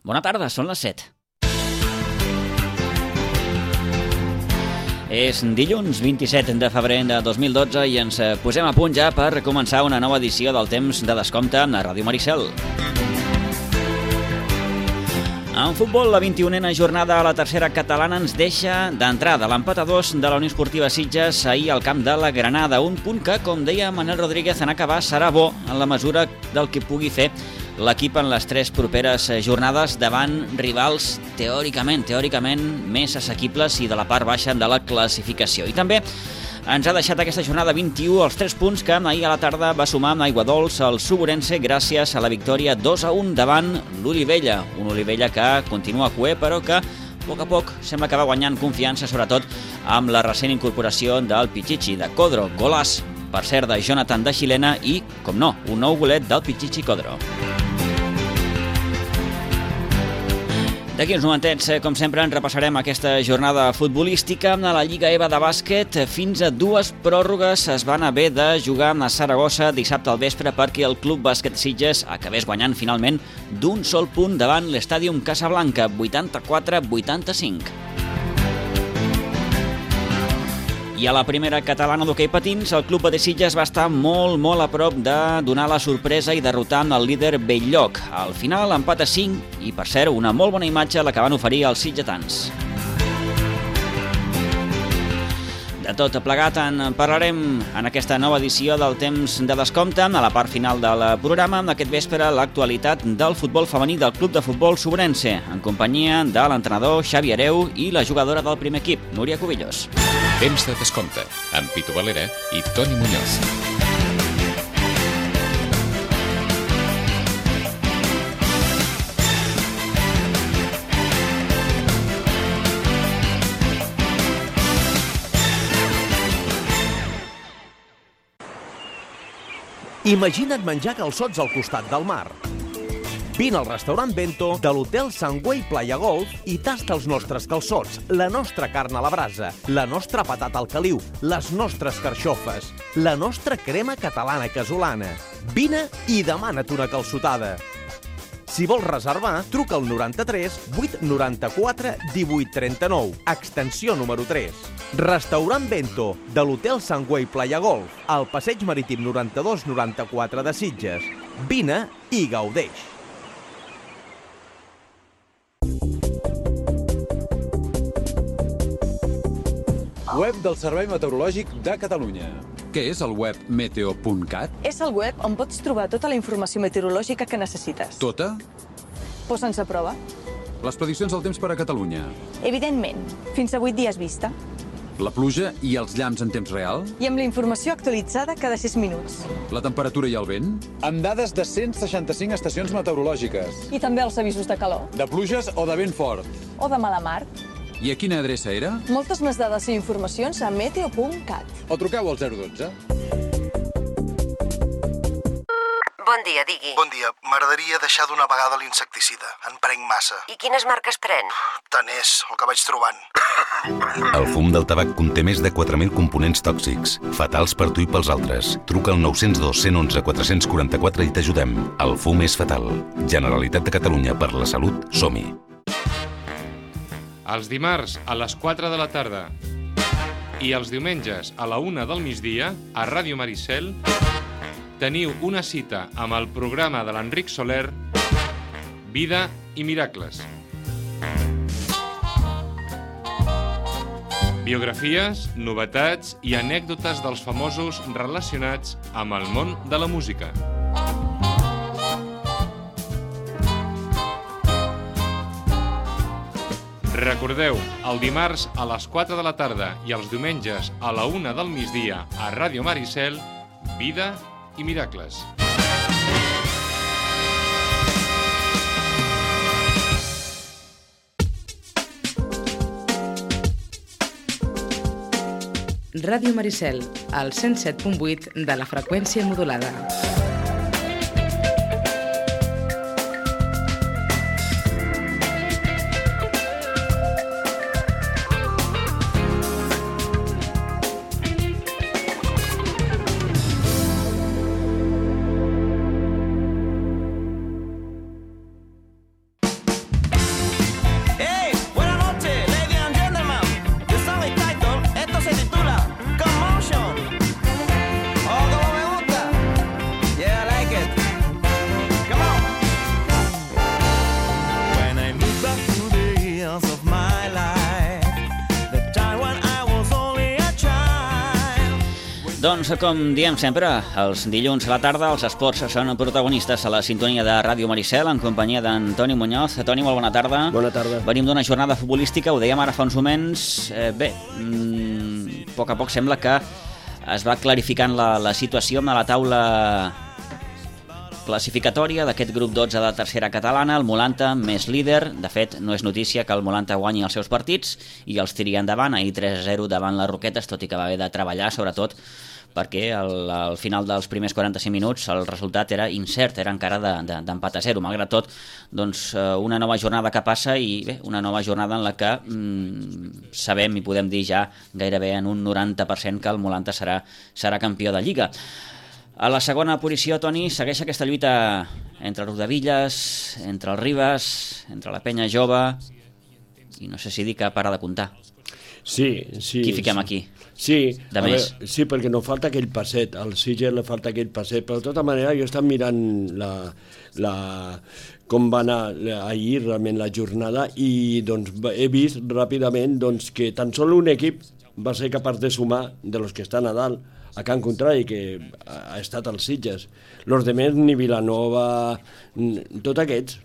Bona tarda, són les 7. És dilluns 27 de febrer de 2012 i ens posem a punt ja per començar una nova edició del Temps de Descompte a Ràdio Maricel. En futbol, la 21a jornada a la tercera catalana ens deixa d'entrada l'empat a 2 de la Unió Esportiva Sitges ahir al camp de la Granada. Un punt que, com deia Manel Rodríguez en acabar, serà bo en la mesura del que pugui fer l'equip en les 3 properes jornades davant rivals teòricament més assequibles i de la part baixa de la classificació. I també ens ha deixat aquesta jornada 21 els 3 punts que ahir a la tarda va sumar amb Aiguadols el Suburense gràcies a la victòria 2-1 davant l'Olivella. Un Olivella que continua cuer però que a poc sembla que va guanyant confiança, sobretot amb la recent incorporació del Pichichi de Codro. Golàs, per cert, de Jonathan de Xilena i, com no, un nou golet del Pichichi Codro. D'aquí uns momentets, com sempre, en repassarem aquesta jornada futbolística. A la Lliga EVA de bàsquet, fins a 2 pròrrogues es van haver de jugar a Saragossa dissabte al vespre perquè el Club Bàsquet Sitges acabés guanyant finalment d'un sol punt davant l'Estàdium Casablanca, 84-85. I a la primera catalana d'hoquei patins, el Club de Sitges va estar molt a prop de donar la sorpresa i derrotar el líder Belllloc. Al final, empat a 5 i, per cert, una molt bona imatge la que van oferir els sitgetans. De tot plegat en parlarem en aquesta nova edició del Temps de Descompte. A la part final del programa, aquest vespre, l'actualitat del futbol femení del Club de Futbol Suburense, en companyia de l'entrenador Xavi Hereu i la jugadora del primer equip, Núria Cubillos. Temps de Descompte, amb Pitu Valera i Toni Muñoz. Imagina't menjar calçots al costat del mar. Vine al restaurant Bento de l'Hotel Sangüey Playa Golf i tasta els nostres calçots, la nostra carn a la brasa, la nostra patata al caliu, les nostres carxofes, la nostra crema catalana casolana. Vine i demana't una calçotada. Si vols reservar, truca al 93 894 1839, extensió número 3. Restaurant Bento, de l'Hotel Sangüey Playa Golf, al Passeig Marítim 92-94 de Sitges. Vine i gaudeix. Web del Servei Meteorològic de Catalunya. Què és el web meteo.cat? És el web on pots trobar tota la informació meteorològica que necessites. Tota? Posa'ns a prova. Les prediccions del temps per a Catalunya. Evidentment, fins a 8 dies vista. La pluja i els llamps en temps real? I amb la informació actualitzada cada 6 minuts. La temperatura i el vent? Amb dades de 165 estacions meteorològiques. I també els avisos de calor. De pluges o de vent fort? O de mala mar. I a quina adreça era? Moltes més dades i informacions a meteo.cat. O truqueu al 012. Bon dia, digui. Bon dia. M'agradaria deixar d'una vegada l'insecticida. En prenc massa. I quines marques pren? Tant és el que vaig trobant. El fum del tabac conté més de 4.000 components tòxics, fatals per tu i pels altres. Truca al 902 111 444 i t'ajudem. El fum és fatal. Generalitat de Catalunya, per la salut, som-hi. Els dimarts a les 4 de la tarda i els diumenges a la 1 del migdia a Ràdio Maricel teniu una cita amb el programa de l'Enric Soler, Vida i Miracles. Biografies, novetats i anècdotes dels famosos relacionats amb el món de la música. Recordeu, el dimarts a les 4 de la tarda i els diumenges a la 1 del migdia a Ràdio Maricel, Vida i Miracles. Ràdio Maricel, al 107.8 de la freqüència modulada. Doncs, com diem sempre, els dilluns a la tarda els esports són protagonistes a la sintonia de Ràdio Maricel en companyia d'en Toni Muñoz. Toni, molt bona tarda. Bona tarda. Venim d'una jornada futbolística, ho dèiem ara fa uns moments. A poc a poc sembla que es va clarificant la situació amb la taula classificatòria d'aquest grup 12 de tercera catalana. El Molanta més líder. De fet, no és notícia que el Molanta guanyi els seus partits i els tiri endavant. Ahir 3-0 davant les Roquetes, tot i que va haver de treballar, sobretot perquè al final dels primers 45 minuts el resultat era incert, era encara d'empat a 0. Malgrat tot, doncs, una nova jornada que passa i bé, una nova jornada en la que sabem i podem dir ja gairebé en un 90% que el Molanta serà campió de Lliga. A la segona posició, Toni, segueix aquesta lluita entre Rodavillas, entre el Ribas, entre la Penya Jove, i no sé si dir que para de comptar. Sí. Qui fiquem aquí? Sí, sí, perquè no falta aquell passet, al Sitges li falta aquell passet, però de tota manera jo he estat mirant com va anar ahir realment la jornada i doncs, he vist ràpidament doncs, que tan sol un equip va ser capaç de sumar de los que estan a dalt a Can Contrari, que ha estat als Sitges. Los demés, ni Vilanova, tots aquests,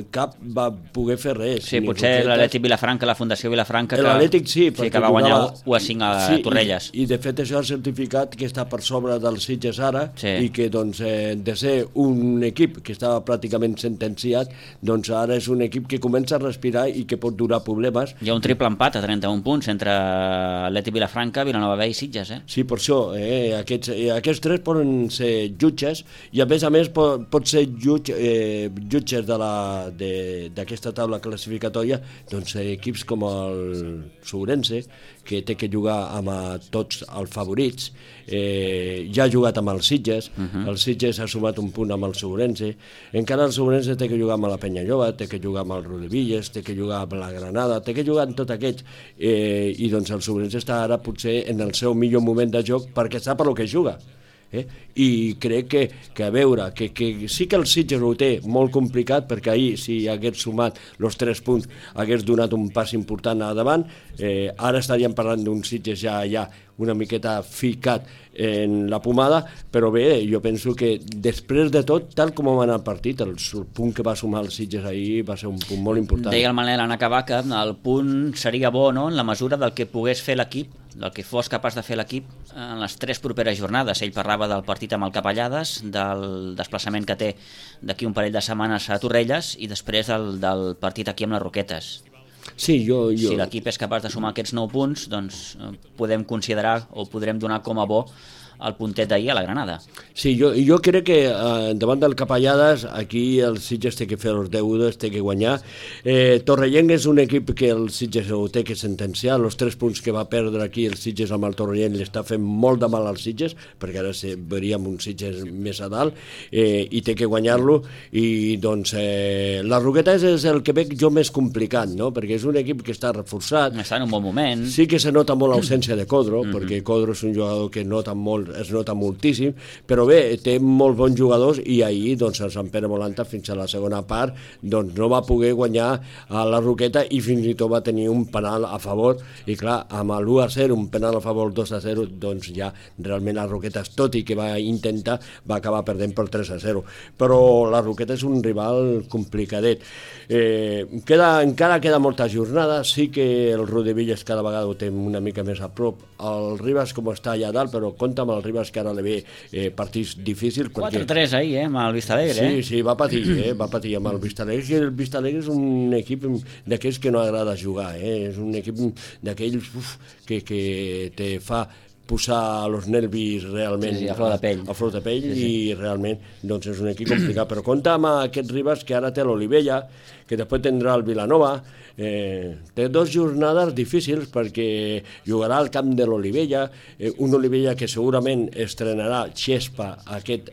cap va poder fer res. Sí, potser l'Atlètic Vilafranca, la Fundació Vilafranca, l'Atlètic sí, que va guanyar 1-5 a Torrelles. I de fet això ha certificat que està per sobre dels Sitges ara i que doncs, de ser un equip que estava pràcticament sentenciat, doncs ara és un equip que comença a respirar i que pot durar problemes. Hi ha un triple empat a 31 punts entre Atlètic Vilafranca, Vilanova B i Sitges. Sí, per això, aquests tres poden ser jutges i a més pot ser jutges d'aquesta taula classificatòria doncs equips com el Sourense, que té que jugar amb tots els favorits, ja ha jugat amb els Sitges, el Sitges ha sumat un punt amb el Sourense, encara el Sourense té que jugar amb la Penya Jove, té que jugar amb el Rodavillas, té que jugar amb la Granada, té que jugar amb tots aquests, i doncs el Sourense està ara potser en el seu millor moment de joc perquè sap el que juga. I crec que a veure, que sí que el Sitges ho té molt complicat, perquè ahir si hagués sumat els 3 punts hagués donat un pas important a davant. Ara estaríem parlant d'un Sitges ja una miqueta ficat en la pomada, però bé, jo penso que després de tot, tal com va anar el partit, el punt que va sumar el Sitges ahir va ser un punt molt important. Deia el Manel en acabar que el punt seria bo, no?, en la mesura del que pogués fer l'equip, del que fos capaç de fer l'equip en les 3 properes jornades. Ell parlava del partit amb el Capellades, del desplaçament que té d'aquí un parell de setmanes a Torrelles i després del partit aquí amb les Roquetes. Sí, si l'equip és capaç de sumar aquests 9 punts, doncs podem considerar o podrem donar com a bo el puntet d'ahir a la Granada. Sí, jo crec que davant del Capellades aquí el Sitges té que fer els deures, té que guanyar. Torrellent és un equip que el Sitges ho té que sentenciar. Els 3 punts que va perdre aquí el Sitges amb el Torrellent li està fent molt de mal al Sitges, perquè ara veuríem un Sitges més a dalt, i té que guanyar-lo. I doncs la Roquetes és el que veig jo més complicat, no?, perquè és un equip que està reforçat. Està en un bon moment. Sí que se nota molt l'ausència de Codro, perquè Codro és un jugador que es nota moltíssim, però bé, té molts bons jugadors i ahir doncs, el Sant Pere Molanta fins a la segona part doncs, no va poder guanyar a la Roqueta i fins i tot va tenir un penal a favor i clar, amb l'1-0, un penal a favor 2-0, doncs ja realment la Roqueta, tot i que va intentar, va acabar perdent per 3-0, però la Roqueta és un rival complicadet. Encara queda molta jornada, sí que el Rodavillas cada vegada ho té una mica més a prop, el Ribas com està allà dalt, però compta amb el Ribas que ara li ve partits difícils. 4-3 ahir, amb el Vistalegre. Sí, va patir amb el Vistalegre, i el Vistalegre és un equip d'aquells que no agrada jugar, és un equip d'aquells que te fa posar els nervis realment a flor de pell, i realment doncs és un equip complicat, però compta amb aquest Ribas que ara té l'Olivella, que després tindrà el Vilanova. Té 2 jornades difícils perquè jugarà al camp de l'Olivella, un Olivella que segurament estrenarà Xespa aquest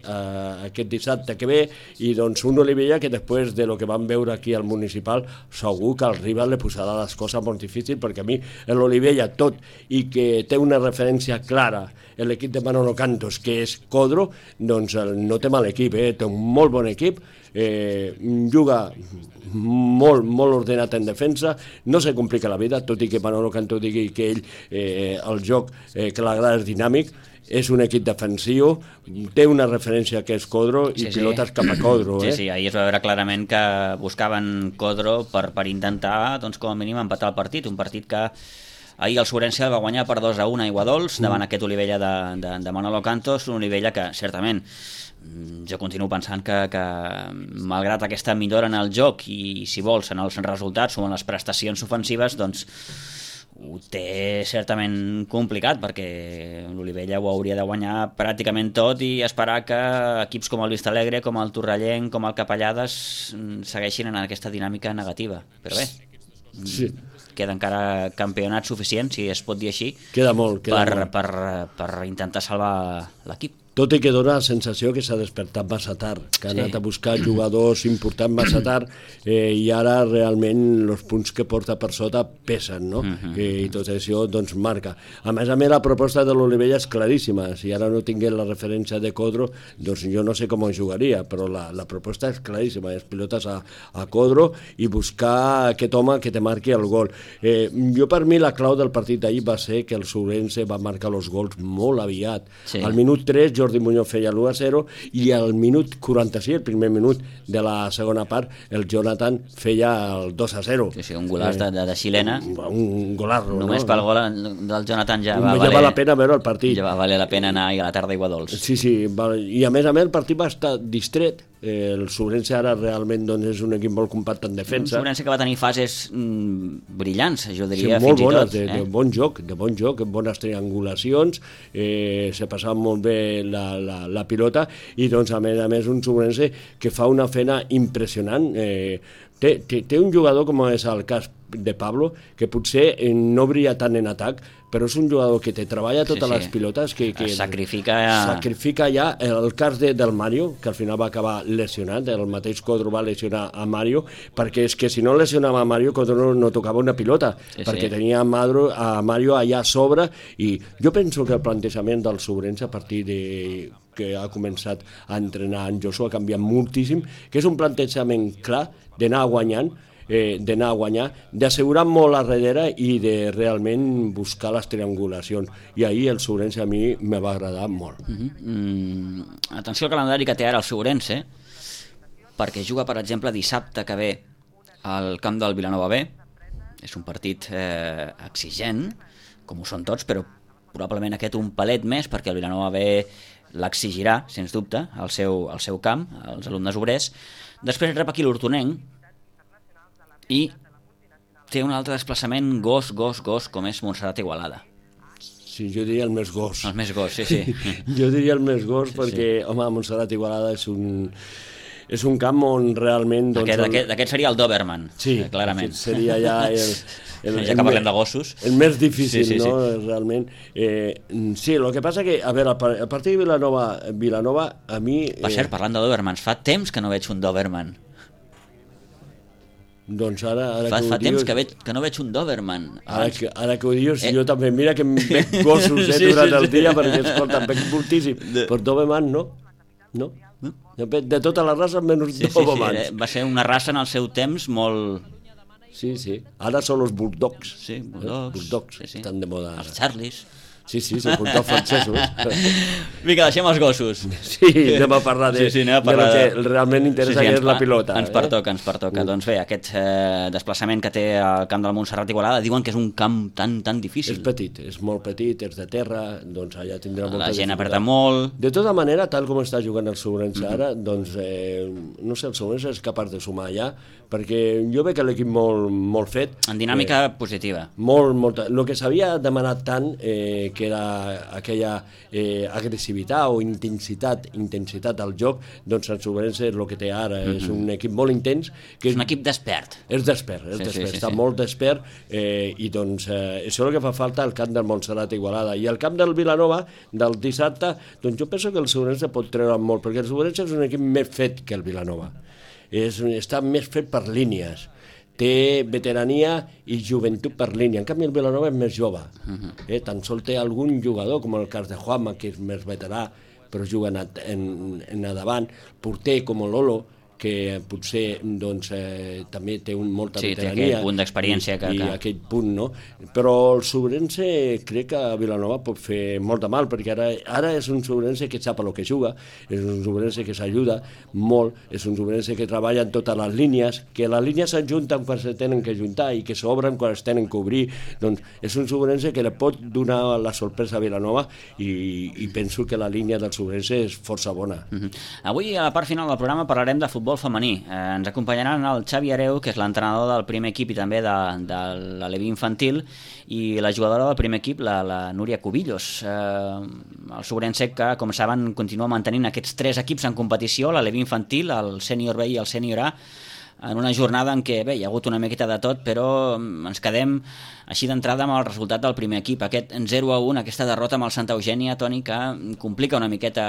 dissabte que ve, i doncs un Olivella que després de lo que vam veure aquí al municipal segur que al rival li posarà les coses molt difícils, perquè a mi l'Olivella, tot i que té una referència clara en l'equip de Manolo Cantos, que és Codro, doncs no té mal equip, té un molt bon equip, juga molt ordenat en defensa, no se complica la vida, tot i que Manolo Canto digui que ell el joc que l'agrada és dinàmic, és un equip defensiu, té una referència que és Codro i pilotes cap a Codro. Sí, ahir es va veure clarament que buscaven Codro per intentar, doncs, com a mínim, empatar el partit, un partit que ahir el Sobrense va guanyar per 2-1 a Aiguadols davant aquest Olivella de Manolo Cantos, un Olivella que, certament, jo continuo pensant que malgrat aquesta millora en el joc i, si vols, en els resultats o en les prestacions ofensives, doncs ho té certament complicat, perquè l'Olivella ho hauria de guanyar pràcticament tot i esperar que equips com el Vistalegre, com el Torrellenc, com el Capellades segueixin en aquesta dinàmica negativa. Però bé, queda encara campionat suficient, si es pot dir així, queda molt, per intentar salvar l'equip. Tot i que dona la sensació que s'ha despertat massa tard, que ha anat a buscar jugadors importants massa tard i ara realment els punts que porta per sota pesen, no? I tot això doncs marca. A més, la proposta de l'Olivella és claríssima. Si ara no tingués la referència de Codro, doncs jo no sé com jugaria, però la proposta és claríssima, és pilotes a Codro i buscar aquest home que te marqui el gol. Jo, per mi, la clau del partit d'ahir va ser que el Sobrense va marcar els gols molt aviat. Al minut 3, Jordi Muñoz feia l'1-0 i al minut 46, el primer minut de la segona part, el Jonathan feia el 2-0. Sí, un golaç de xilena. Un golarro, no? Només pel gol del Jonathan ja va valer la pena veure el partit. Ja va valer la pena anar a la tarda a Aiguadols. Sí, i a més el partit va estar distret. El Sobrense ara realment és un equip molt compacte en defensa. Un Sobrense que va tenir fases brillants, jo diria, molt fins bones, i tot. De bon joc, bones triangulacions, se passava molt bé la pilota i doncs a més un Sobrense que fa una feina impressionant. Té un jugador com és el cas de Pablo, que potser no brilla tant en atac, però és un jugador que te treballa totes les pilotes, que sacrifica ja. El cas del Mario, que al final va acabar lesionat, el mateix Codro va lesionar a Mario, perquè és que si no lesionava a Mario, Codro no tocava una pilota, perquè tenia a Mario allà a sobre, i jo penso que el plantejament del Sobrense a partir que ha començat a entrenar en Josu ha canviat moltíssim, que és un plantejament clar d'anar guanyant, d'assegurar molt a darrere i de realment buscar les triangulacions. I ahir el Sobrense a mi me va agradar molt. Atenció al calendari que té ara el Sobrense, perquè juga, per exemple, dissabte que ve al camp del Vilanova B. És un partit exigent, com ho són tots, però probablement aquest un palet més, perquè el Vilanova B l'exigirà, sens dubte, al seu camp, als alumnes obrers. Després rep aquí l'Hortonenc i té un altre desplaçament gos, com és Montserrat Igualada. Sí, jo diria el més gos. El més gos, sí. Jo diria el més gos perquè, home, Montserrat Igualada és un camp on realment... Aquest seria el Doberman, clarament. Seria ja ja que parlem de gossos. El més difícil, no? Realment. Sí, el que passa que, a veure, a partir de Vilanova, a mi... Per cert, parlant de Dobermans, fa temps que no veig un Doberman. Doncs ara fa temps que no veig un Doberman. Ara que ho dius, jo també, mira que em veig gossos durant el dia, perquè, escolta, em veig moltíssim. Però Doberman no. De tota la raça, menys Dobermans. Va ser una raça en el seu temps molt... Sí. Ara són els bulldogs. Sí, bulldogs. Estan de moda. Els Charlies. Sí, els bulldogs francesos. Vinga, deixem els gossos. Sí, anem a parlar de lo que realment interessa, que és la pilota. Ens pertoca. Doncs bé, aquest desplaçament que té al camp del Montserrat Igualada, diuen que és un camp tan difícil. És petit, és molt petit, és de terra, doncs allà tindrà molta dificultat. La gent apreta molt. De tota manera, tal com està jugant el Sobrense ara, doncs, no sé, el Sobrense és capaç de sumar allà, perquè jo veig l'equip molt fet. En dinàmica positiva. Molt. El que s'havia demanat tant, que era aquella agressivitat o intensitat al joc, doncs el Sobrense és el que té ara, és un equip molt intens. És un equip despert. És despert, està molt despert, i doncs això és el que fa falta al camp del Montserrat Igualada. I al camp del Vilanova, del dissabte, doncs jo penso que el Sobrense pot treure molt, perquè el Sobrense és un equip més fet que el Vilanova. Està més fet per línies. Té veterania i joventut per línia. En canvi, el Vilanova és més jove. Tan sol té algun jugador, com el cas de Juanma, que és més veterà, però juga en davant. Porter com Lolo, que potser doncs, també té molta veterania. Sí, té aquell punt d'experiència. I aquell punt, no? Però el Sobrense crec que a Vilanova pot fer molt de mal, perquè ara és un Sobrense que sap el que juga, és un Sobrense que s'ajuda molt, és un Sobrense que treballa en totes les línies, que les línies s'ajunten quan se tenen que ajuntar i que s'obren quan es tenen que obrir. Doncs és un Sobrense que li pot donar la sorpresa a Vilanova i penso que la línia del Sobrense és força bona. Avui, a la part final del programa, parlarem de futbol femení. Ens acompanyaran el Xavi Areu, que és l'entrenador del primer equip i també de l'Aleví infantil, i la jugadora del primer equip, la Núria Cubillos. El Sobrense, que, com saben, continua mantenint aquests 3 equips en competició, l'Aleví infantil, el sènior B i el sènior A, en una jornada en què hi ha hagut una miqueta de tot, però ens quedem així d'entrada amb el resultat del primer equip. Aquest 0-1, aquesta derrota amb el Santa Eugènia, Toni, que complica una miqueta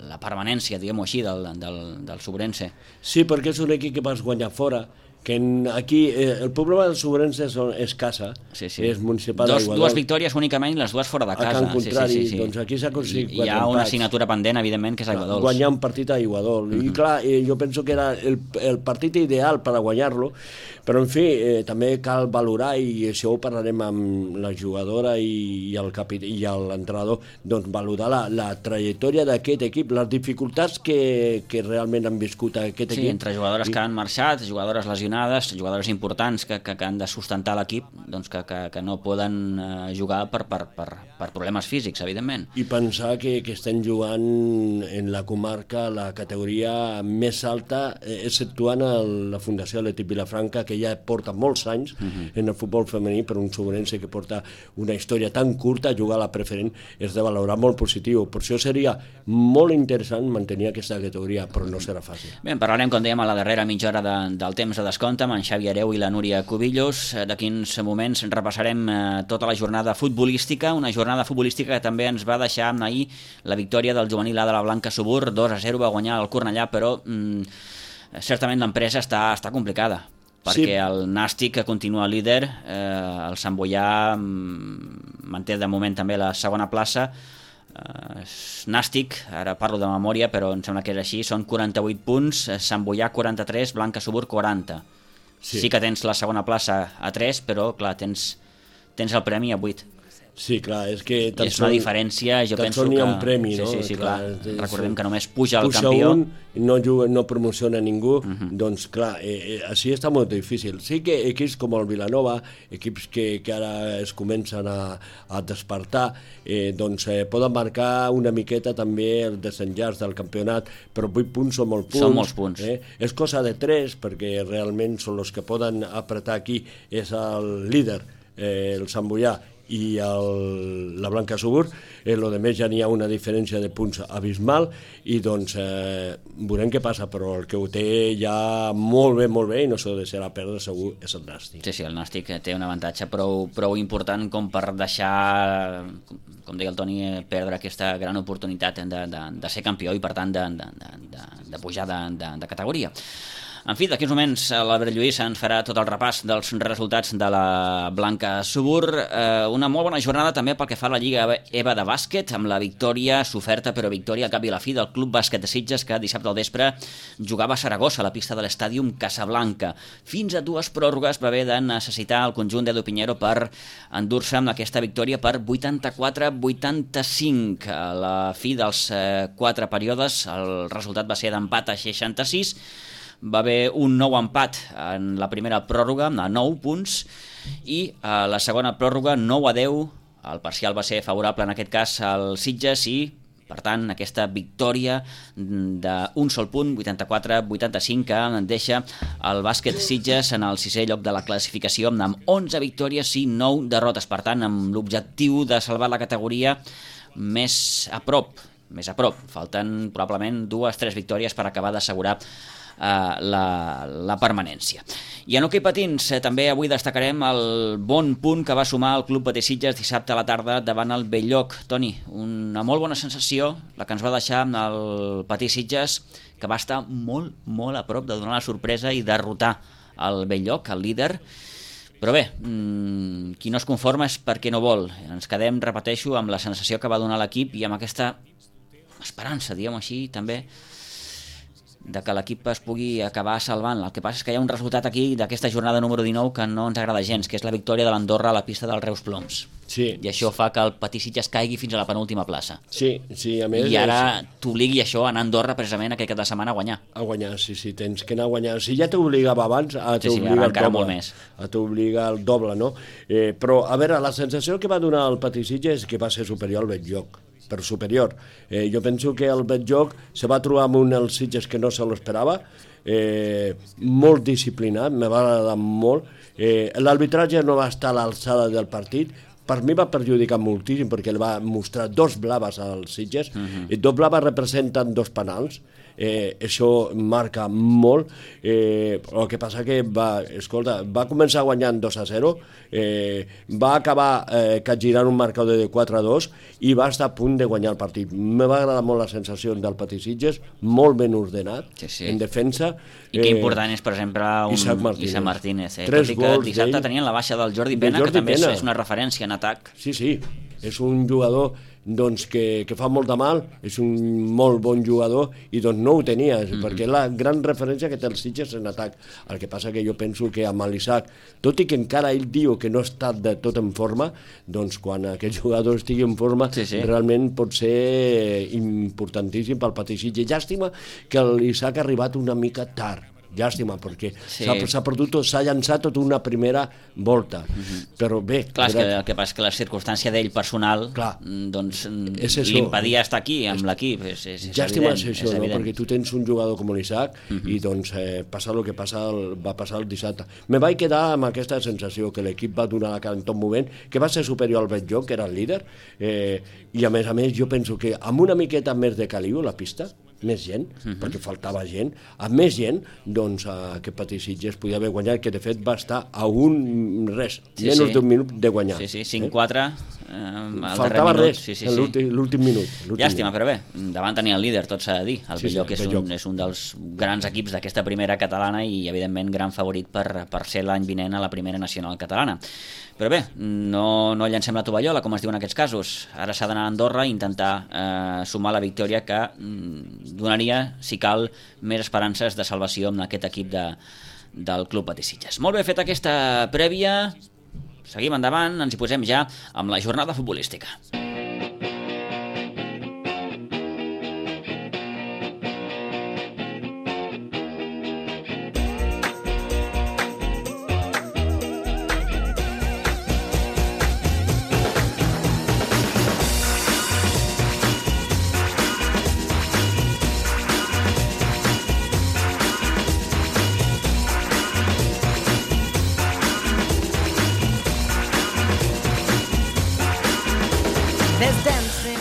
la permanència, diguem-ho així, del Sobrense. Sí, perquè és un equip que vas guanyar fora, que aquí el problema del Sobrense és casa, és municipal d'Aiguadol. 2 victòries únicament, les 2 fora de casa. Al contrari, doncs aquí s'ha aconseguit 4 empats. Hi ha una assignatura pendent, evidentment, que és Aiguadols. Guanyar un partit a Aiguadol. I clar, jo penso que era el partit ideal per a guanyar-lo, però en fi, també cal valorar, i això ho parlarem amb la jugadora i l'entrenador, doncs valorar la trajectòria d'aquest equip, les dificultats que realment han viscut aquest equip. Sí, entre jugadores que han marxat, jugadores lesionades, jugadores importants que han de sustentar l'equip, doncs que no poden jugar per problemes físics, evidentment. I pensar que estem jugant en la comarca la categoria més alta, exceptuant la Fundació Atlètic Vilafranca, que ja porta molts anys en el futbol femení, per un Sobrense que porta una història tan curta, jugar a la preferent és de valorar molt positiu. Per això seria molt interessant mantenir aquesta categoria, però no serà fàcil. Bé, parlarem, com dèiem, a la darrera mitja hora del temps de descompte amb en Xavi Areu i la Núria Cubillos. D'aquí uns moments repassarem tota la jornada futbolística, una jornada futbolística que també ens va deixar ahir la victòria del juvenil A de la Blanca Subur, 2-0, va guanyar el Cornellà, però certament l'empresa està complicada, perquè el Nàstic, que continua líder, el Sant Boià manté de moment també la segona plaça. Nàstic, ara parlo de memòria, però em sembla que és així, són 48 punts, Sant Boià 43, Blanca Subur 40. Sí que tens la segona plaça a 3, però clar, tens el premi a 8. Sí, clar, és que... És una diferència, jo penso que... Tan sols n'hi ha un premi, no? Sí, clar. Recordem que només puja el campió. No promociona ningú, doncs clar, així està molt difícil. Sí que equips com el Vilanova, equips que ara es comencen a despertar, doncs poden marcar una miqueta també el desenllaç del campionat, però 8 punts són molts punts. Són molts punts. És cosa de 3, perquè realment són els que poden apretar aquí. És el líder, el Sant Boià, i la Blanca Subur, lo de més ja n'hi ha una diferència de punts abismal, i doncs veurem què passa, però el que ho té ja molt bé, i no s'ho deixarà perdre segur, és el Nàstic. Sí, el Nàstic té un avantatge prou important com per deixar, com deia el Toni, perdre aquesta gran oportunitat de ser campió i per tant de pujar de categoria. En fi, d'aquí uns moments l'Albert Lluís ens farà tot el repàs dels resultats de la Blanca Subur. Una molt bona jornada també pel que fa a la Lliga EVA de bàsquet, amb la victòria, soferta però victòria al cap i a la fi del Club Bàsquet de Sitges, que dissabte al vespre jugava a Saragossa, a la pista de l'Estàdium Casablanca. Fins a 2 pròrrogues va haver de necessitar el conjunt d'Edu Piñero per endur-se amb aquesta victòria per 84-85. A la fi dels 4 períodes el resultat va ser d'empat a 66. Va haver un nou empat en la primera pròrroga, a 9 punts, i a la segona pròrroga 9-10. El parcial va ser favorable en aquest cas al Sitges i, per tant, aquesta victòria d'un sol punt, 84-85, que deixa el bàsquet Sitges en el 6è lloc de la classificació amb 11 victòries i 9 derrotes. Per tant, amb l'objectiu de salvar la categoria més a prop. Falten probablement 2-3 victòries per acabar d'assegurar la permanència. I en hoquei patins també avui destacarem el bon punt que va sumar el Club Patí Sitges dissabte a la tarda davant el Belllloc. Toni, una molt bona sensació la que ens va deixar el Patí Sitges, que va estar molt a prop de donar la sorpresa i derrotar el Belllloc, el líder. Però bé, qui no es conforma és perquè no vol. Ens quedem, repeteixo, amb la sensació que va donar l'equip i amb aquesta esperança, diguem així, també que l'equip es pugui acabar salvant. El que passa és que hi ha un resultat aquí d'aquesta jornada número 19 que no ens agrada gens, que és la victòria de l'Andorra a la pista del Reus Ploms. Sí. I això fa que el Patí Sitges caigui fins a la penúltima plaça. Sí, a més... I ara t'obligui això a anar a Andorra precisament aquest cap de setmana a guanyar. A guanyar, sí, tens que anar a guanyar. Si ja t'obligava abans, t'obliga el doble. T'obliga el doble, no? Però, a veure, la sensació que va donar el Patí Sitges és que va ser superior al Betjoc. Per superior. Jo penso que el Betjoc se va trobar amb un els Sitges que no se l'esperava, molt disciplinat, me va agradar molt. L'arbitratge no va estar a l'alçada del partit, per mi va perjudicar moltíssim perquè li va mostrar 2 blaves als Sitges, i 2 blaves representen 2 penals. Això marca molt. El que passa que va començar guanyant 2-0, va acabar capgirant un marcador de 4-2 i va estar a punt de guanyar el partit. Me va agradar molt la sensació del Patí Sitges, tot ben ordenat, en defensa. I que important és, per exemple, Isaac Martínez. Tot i que dissabte tenien la baixa del Jordi Pena, que també és una referència en atac. Sí, és un jugador que fa molt de mal, és un molt bon jugador i doncs no ho tenia, perquè és la gran referència que té el Sitges en atac. El que passa que jo penso que amb l'Isaac, tot i que encara ell diu que no està de tot en forma, doncs quan aquest jugador estigui en forma realment pot ser importantíssim pel Patí Sitges. Llàstima que l'Isaac ha arribat una mica tard. Llàstima, perquè s'ha llançat tota una primera volta. Però bé... Clar, el que passa és que la circumstància d'ell personal li impedia estar aquí, amb l'equip. Llàstima és això, perquè tu tens un jugador com l'Isaac i doncs passa el que va passar el dissabte. Me vaig quedar amb aquesta sensació que l'equip va donar la cara en tot moment, que va ser superior al Betjoc, que era el líder, i a més jo penso que amb una miqueta més de caliu a la pista, més gent, perquè faltava gent, amb més gent, doncs aquest Patí Sitges podia haver guanyat, que de fet va estar a menys d'un minut de guanyar. 5-4 faltava res l'últim minut. Llàstima, però bé, davant tenia el líder, tot s'ha de dir. El Betjoc és un dels grans equips d'aquesta primera catalana i evidentment gran favorit per ser l'any vinent a la primera nacional catalana. Però bé, no llancem la tovallola, com es diu en aquests casos. Ara s'ha d'anar a Andorra i intentar sumar la victòria que donaria, si cal, més esperances de salvació amb aquest equip del Club Patí Sitges. Molt bé, feta aquesta prèvia, seguim endavant, ens hi posem ja amb la jornada futbolística.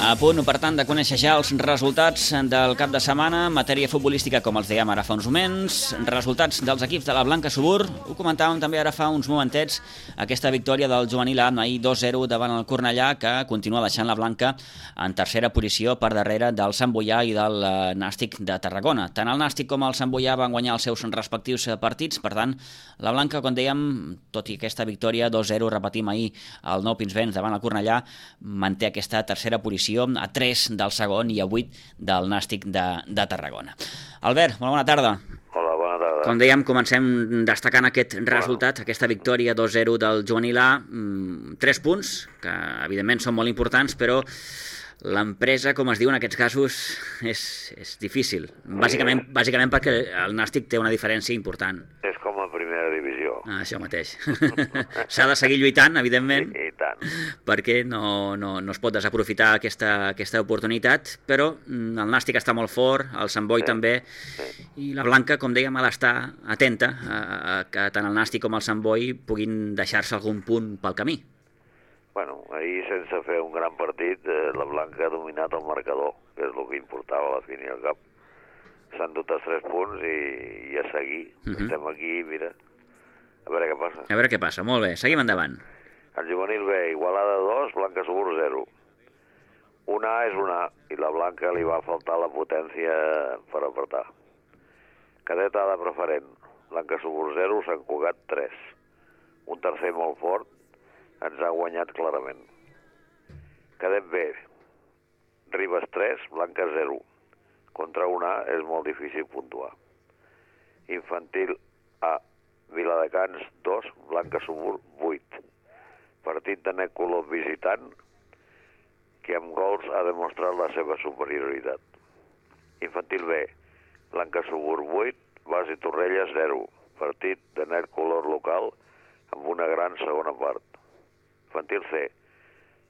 A punt, per tant, de conèixer ja els resultats del cap de setmana en matèria futbolística, com els dèiem ara fa uns moments, resultats dels equips de la Blanca Subur. Ho comentàvem també ara fa uns momentets, aquesta victòria del juvenil A ahir 2-0 davant el Cornellà, que continua deixant la Blanca en tercera posició per darrere del Sant Boià i del Nàstic de Tarragona. Tant el Nàstic com el Sant Boià van guanyar els seus respectius partits, per tant, la Blanca, com dèiem, tot i aquesta victòria 2-0, repetim ahir el Nou Pinsbens davant el Cornellà, manté aquesta tercera posició a 3 del segon i a 8 del Nàstic de Tarragona. Albert, molt bona tarda. Hola, bona tarda. Com dèiem, comencem destacant aquest resultat, aquesta victòria 2-0 del juvenil A, 3 punts, que evidentment són molt importants, però l'empresa, com es diu en aquests casos, és difícil. Bàsicament perquè el Nàstic té una diferència important. És com a primera divisió. Això mateix. S'ha de seguir lluitant, evidentment, i tant, perquè no es pot desaprofitar aquesta oportunitat, però el Nàstic està molt fort, el Sant Boi també, i la Blanca, com dèiem, ha d'estar atenta a que tant el Nàstic com el Sant Boi puguin deixar-se algun punt pel camí. Bueno, ahir, sense fer un gran partit, la Blanca ha dominat el marcador, que és el que importava a la fin i al cap. S'han dut els 3 punts i a seguir. Estem aquí, mira, a veure què passa. A veure què passa, molt bé. Seguim endavant. El juvenil B, Igualada 2, Blanca Subur 0. Un A és un A, i la Blanca li va faltar la potència per apretar. Cadet A de preferent, Blanca Subur 0, Sant Cugat 3. Un tercer molt fort, ens ha guanyat clarament. Cadet B, Ribes 3, Blanca 0. Contra un A és molt difícil puntuar. Infantil A, Viladecans 2, Blanca Subur 8. Partit de net color visitant, que amb gols ha demostrat la seva superioritat. Infantil B, Blanca Subur 8, Basi Torrelles 0. Partit de net color local amb una gran segona part. Infantil C,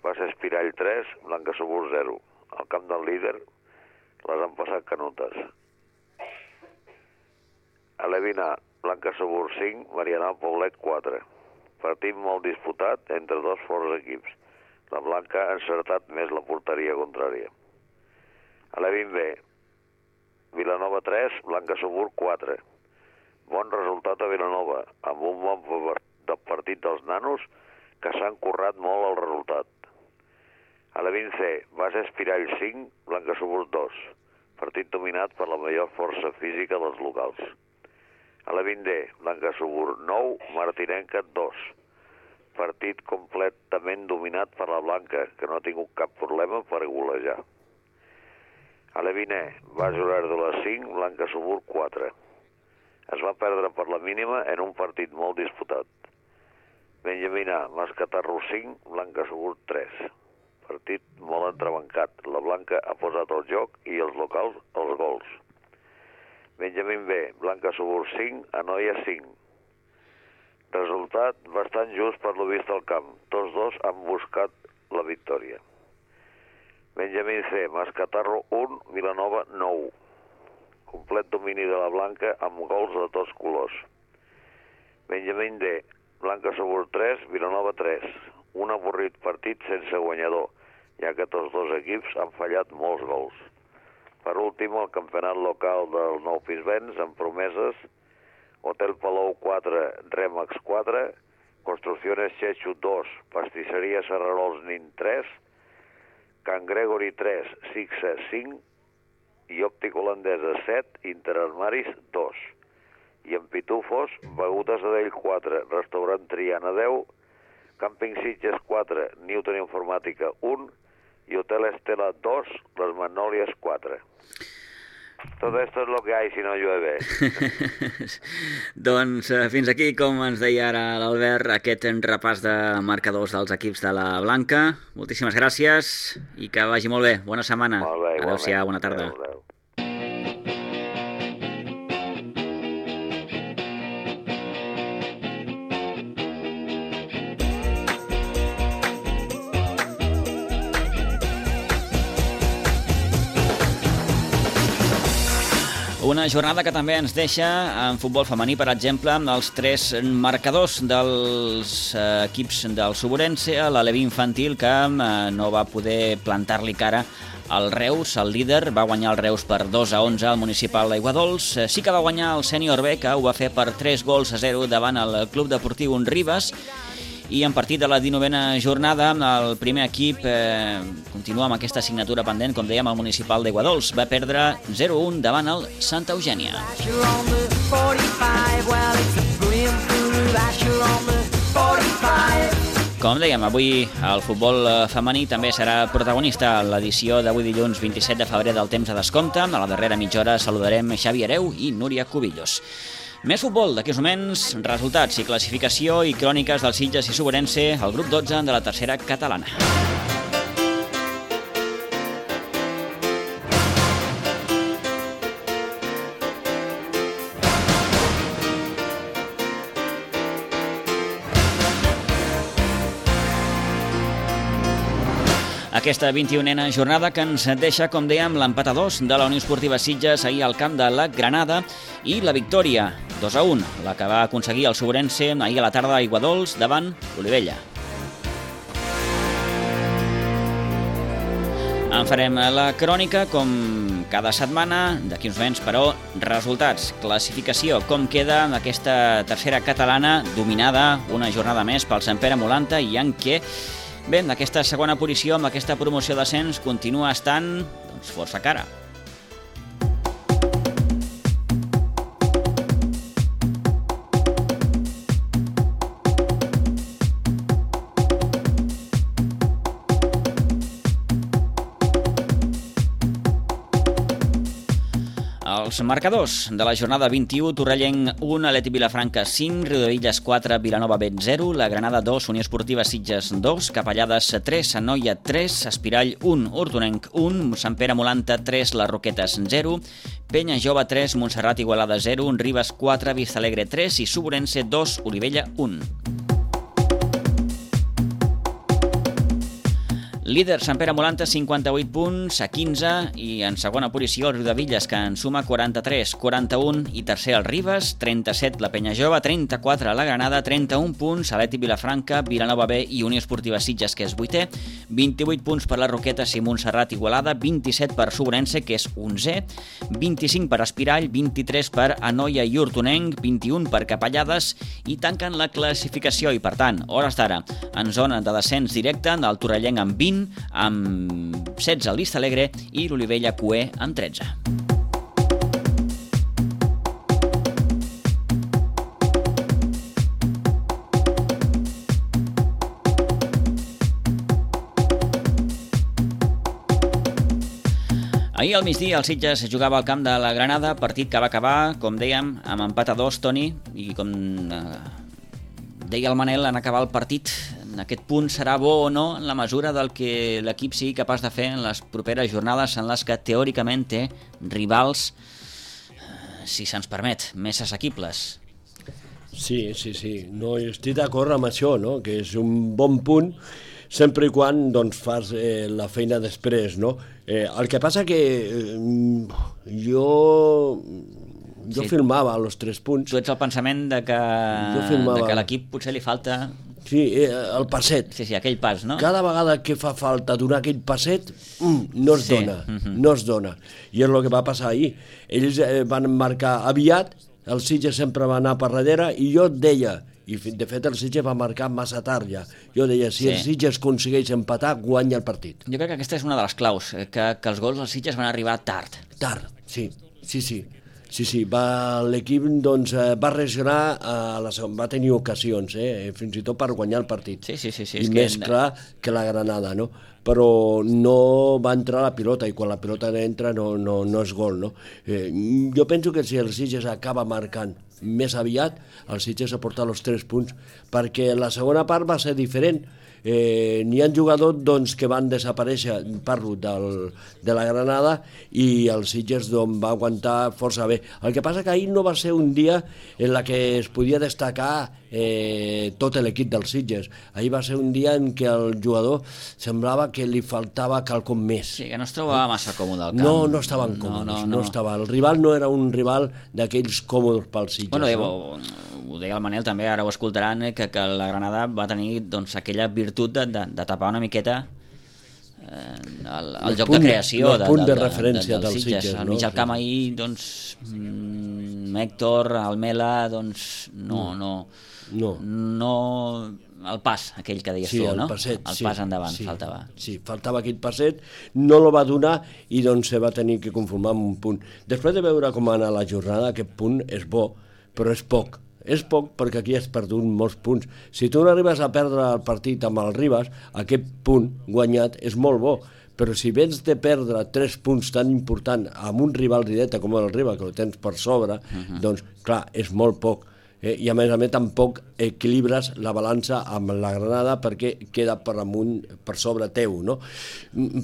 Basi Espirall 3, Blanca Subur 0. Al camp del líder les han passat canutes. A l'Evina, Blanca Subur 5, Marianal Poblet 4. Partit molt disputat entre dos forts equips. La Blanca ha encertat més la porteria contrària. A l'Evin B, Vilanova 3, Blanca Subur 4. Bon resultat a Vilanova, amb un bon partit dels nanos que s'han currat molt el resultat. A l'Evin C, Basi Espirall 5, Blanca Subur 2. Partit dominat per la major força física dels locals. A l'Evin D, Blanca Subur 9, Martinenca 2. Partit completament dominat per la Blanca, que no ha tingut cap problema per golejar. A l'Evin E, Basi Olèrdola 5, Blanca Subur 4. Es va perdre per la mínima en un partit molt disputat. Benjamín A, Mascatarro 5, Blanca Subur 3. Partit molt entrebancat. La Blanca ha posat el joc i els locals els gols. Benjamín B, Blanca Subur 5, Anoia 5. Resultat bastant just per lo vist al camp. Tots dos han buscat la victòria. Benjamín C, Mascatarro 1, Vilanova 9. Complet domini de la Blanca amb gols de tots colors. Benjamín D, Blanca Subur 3, Vilanova 3. Un avorrit partit sense guanyador, ja que tots dos equips han fallat molts gols. Per últim, el campionat local del Nou Pinsbens, amb promeses: Hotel Palou 4, Remax 4, Construcciones Chechu 2, Pastisseria Serrarols Nin 3, Can Gregory 3, Sixa 5 i Òptica Holandesa 7, Interarmaris 2. I en Pitufos, Begudes Adell 4, Restaurant Triana 10, Camping Sitges 4, Newton Informàtica 1 i Hotel Estela 2, Les Magnòlies 4. Todo esto es lo que hay si no llueve. Doncs fins aquí, com ens deia ara l'Albert, aquest repàs de marcadors dels equips de la Blanca. Moltíssimes gràcies i que vagi molt bé. Bona setmana. Molt bé, adéu-siau, bona tarda. Adéu. Una jornada que també ens deixa en futbol femení, per exemple, els tres marcadors dels equips del Suburense, l'Aleví infantil, que no va poder plantar-li cara al Reus, el líder, va guanyar el Reus per 2-11 al municipal d'Aiguadols. Sí que va guanyar el sènior B, que ho va fer per 3-0 davant el Club Deportiu Unribes. I en partit de la 19a jornada, el primer equip continua amb aquesta assignatura pendent, com dèiem, el municipal d'Aiguadols. Va perdre 0-1 davant el Santa Eugènia. Com dèiem, avui el futbol femení també serà protagonista a l'edició d'avui dilluns 27 de febrer del temps de descompte. A la darrera mitja hora saludarem Xavi Hereu i Núria Cubillos. Més futbol, d'aquí uns moments, resultats i classificació i cròniques del Sitges i Suburense, el grup 12 de la tercera catalana. Aquesta 21a jornada que ens deixa, com dèiem, l'empat a 2 de la Unió Esportiva Sitges ahir al camp de la Granada i la victòria 2-1, la que va aconseguir el Suburense ahir a la tarda a Aiguadols davant l'Olivella. En farem la crònica, com cada setmana, d'aquí uns moments, però resultats, classificació, com queda aquesta tercera catalana dominada una jornada més pel Sant Pere Molanta i en què bé, aquesta segona posició amb aquesta promoció d'ascens continua estant força cara. Els marcadors de la jornada 21, Torrellenc 1, Atlètic Vilafranca 5, Riudebitlles 4, Vilanova Bet 0, la Granada 2, Unió Esportiva Sitges 2, Capellades 3, Sant Noia 3, Espirall 1, Hortonenc 1, Sant Pere Molanta 3, Les Roquetes 0, Penya Jove 3, Montserrat Igualada 0, Ribes 4, Vistalegre 3 i Suburense 2, Olivella 1. Líder Sant Pere Molanta, 58 punts a 15 i en segona posició el Riudebitlles, que en suma 43, 41 i tercer el Ribes, 37 la Penya Jove, 34 la Granada, 31 punts Atlètic Vilafranca, Vilanova B i Unió Esportiva Sitges, que és 8è, 28 punts per les Roquetes i Montserrat Igualada, 27 per Suburense, que és 11è, 25 per Espirall, 23 per Anoia i Hortonenc, 21 per Capellades i tanquen la classificació i, per tant, hores d'ara, en zona de descens directe del Torrellenc amb 20, amb 16 el Vistalegre i l'Olivella Cué amb 13. Ahir al migdia el Sitges jugava al camp de la Granada, partit que va acabar, com dèiem, amb empat a 2, Toni, i com deia el Manel, en acabar el partit, aquest punt serà bo o no en la mesura del que l'equip sigui capaç de fer en les properes jornades en les que teòricament té rivals, si se'ns permet, més assequibles. Sí. No, estic d'acord amb això, no? Que és un bon punt sempre i quan doncs, fas la feina després, no? El que passa que jo filmava els 3 punts. Tu ets el pensament de que l'equip potser li falta... Sí, el passet. Sí, aquell pas, no? Cada vegada que fa falta donar aquell passet, no es dona, no es dona. I és el que va passar ahir. Ells van marcar aviat, el Sitges sempre va anar per darrere, i jo et deia, i de fet el Sitges va marcar massa tard ja, jo deia, si el Sitges aconsegueix empatar, guanya el partit. Jo crec que aquesta és una de les claus, que els gols del Sitges van arribar tard. Tard, sí. L'equip doncs, va reaccionar, va tenir ocasions, fins i tot per guanyar el partit. Sí. I més clar que la Granada, no? Però no va entrar la pilota, i quan la pilota entra no és gol, no? Jo penso que si el Sitges acaba marcant més aviat, el Sitges ha portat els 3 punts, perquè la segona part va ser diferent. N'hi ha jugadors doncs, que van desaparèixer, parlo de la Granada, i el Sitges doncs, va aguantar força bé. El que passa que ahir no va ser un dia en què es podia destacar tot l'equip del Sitges. Ahir va ser un dia en què el jugador semblava que li faltava quelcom més. Sí, que no es trobava massa còmode al camp. No estaven còmodes, no estava. El rival no era un rival d'aquells còmodes pel Sitges. Bueno, ho deia el Manel també, ara ho escoltaran, que la Granada va tenir doncs, aquella virtut de tapar una miqueta el joc de creació el punt de referència del Sitges. Al mig del camp ahir, doncs, Héctor, Almela, doncs, no, el pas, aquell que deies tu, no? El pas endavant, faltava. Sí, faltava aquell passet, no lo va donar i doncs se va tenir que conformar amb un punt. Després de veure com va anar la jornada, aquest punt és bo, però és poc. És poc perquè aquí has perdut molts punts. Si tu no arribes a perdre el partit amb el Ribes, aquest punt guanyat és molt bo. Però si vens de perdre 3 punts tan importants amb un rival directe com el Ribes, que el tens per sobre, doncs clar, és molt poc. I a més tampoc equilibres la balança amb la Granada perquè queda per amunt, per sobre teu, no?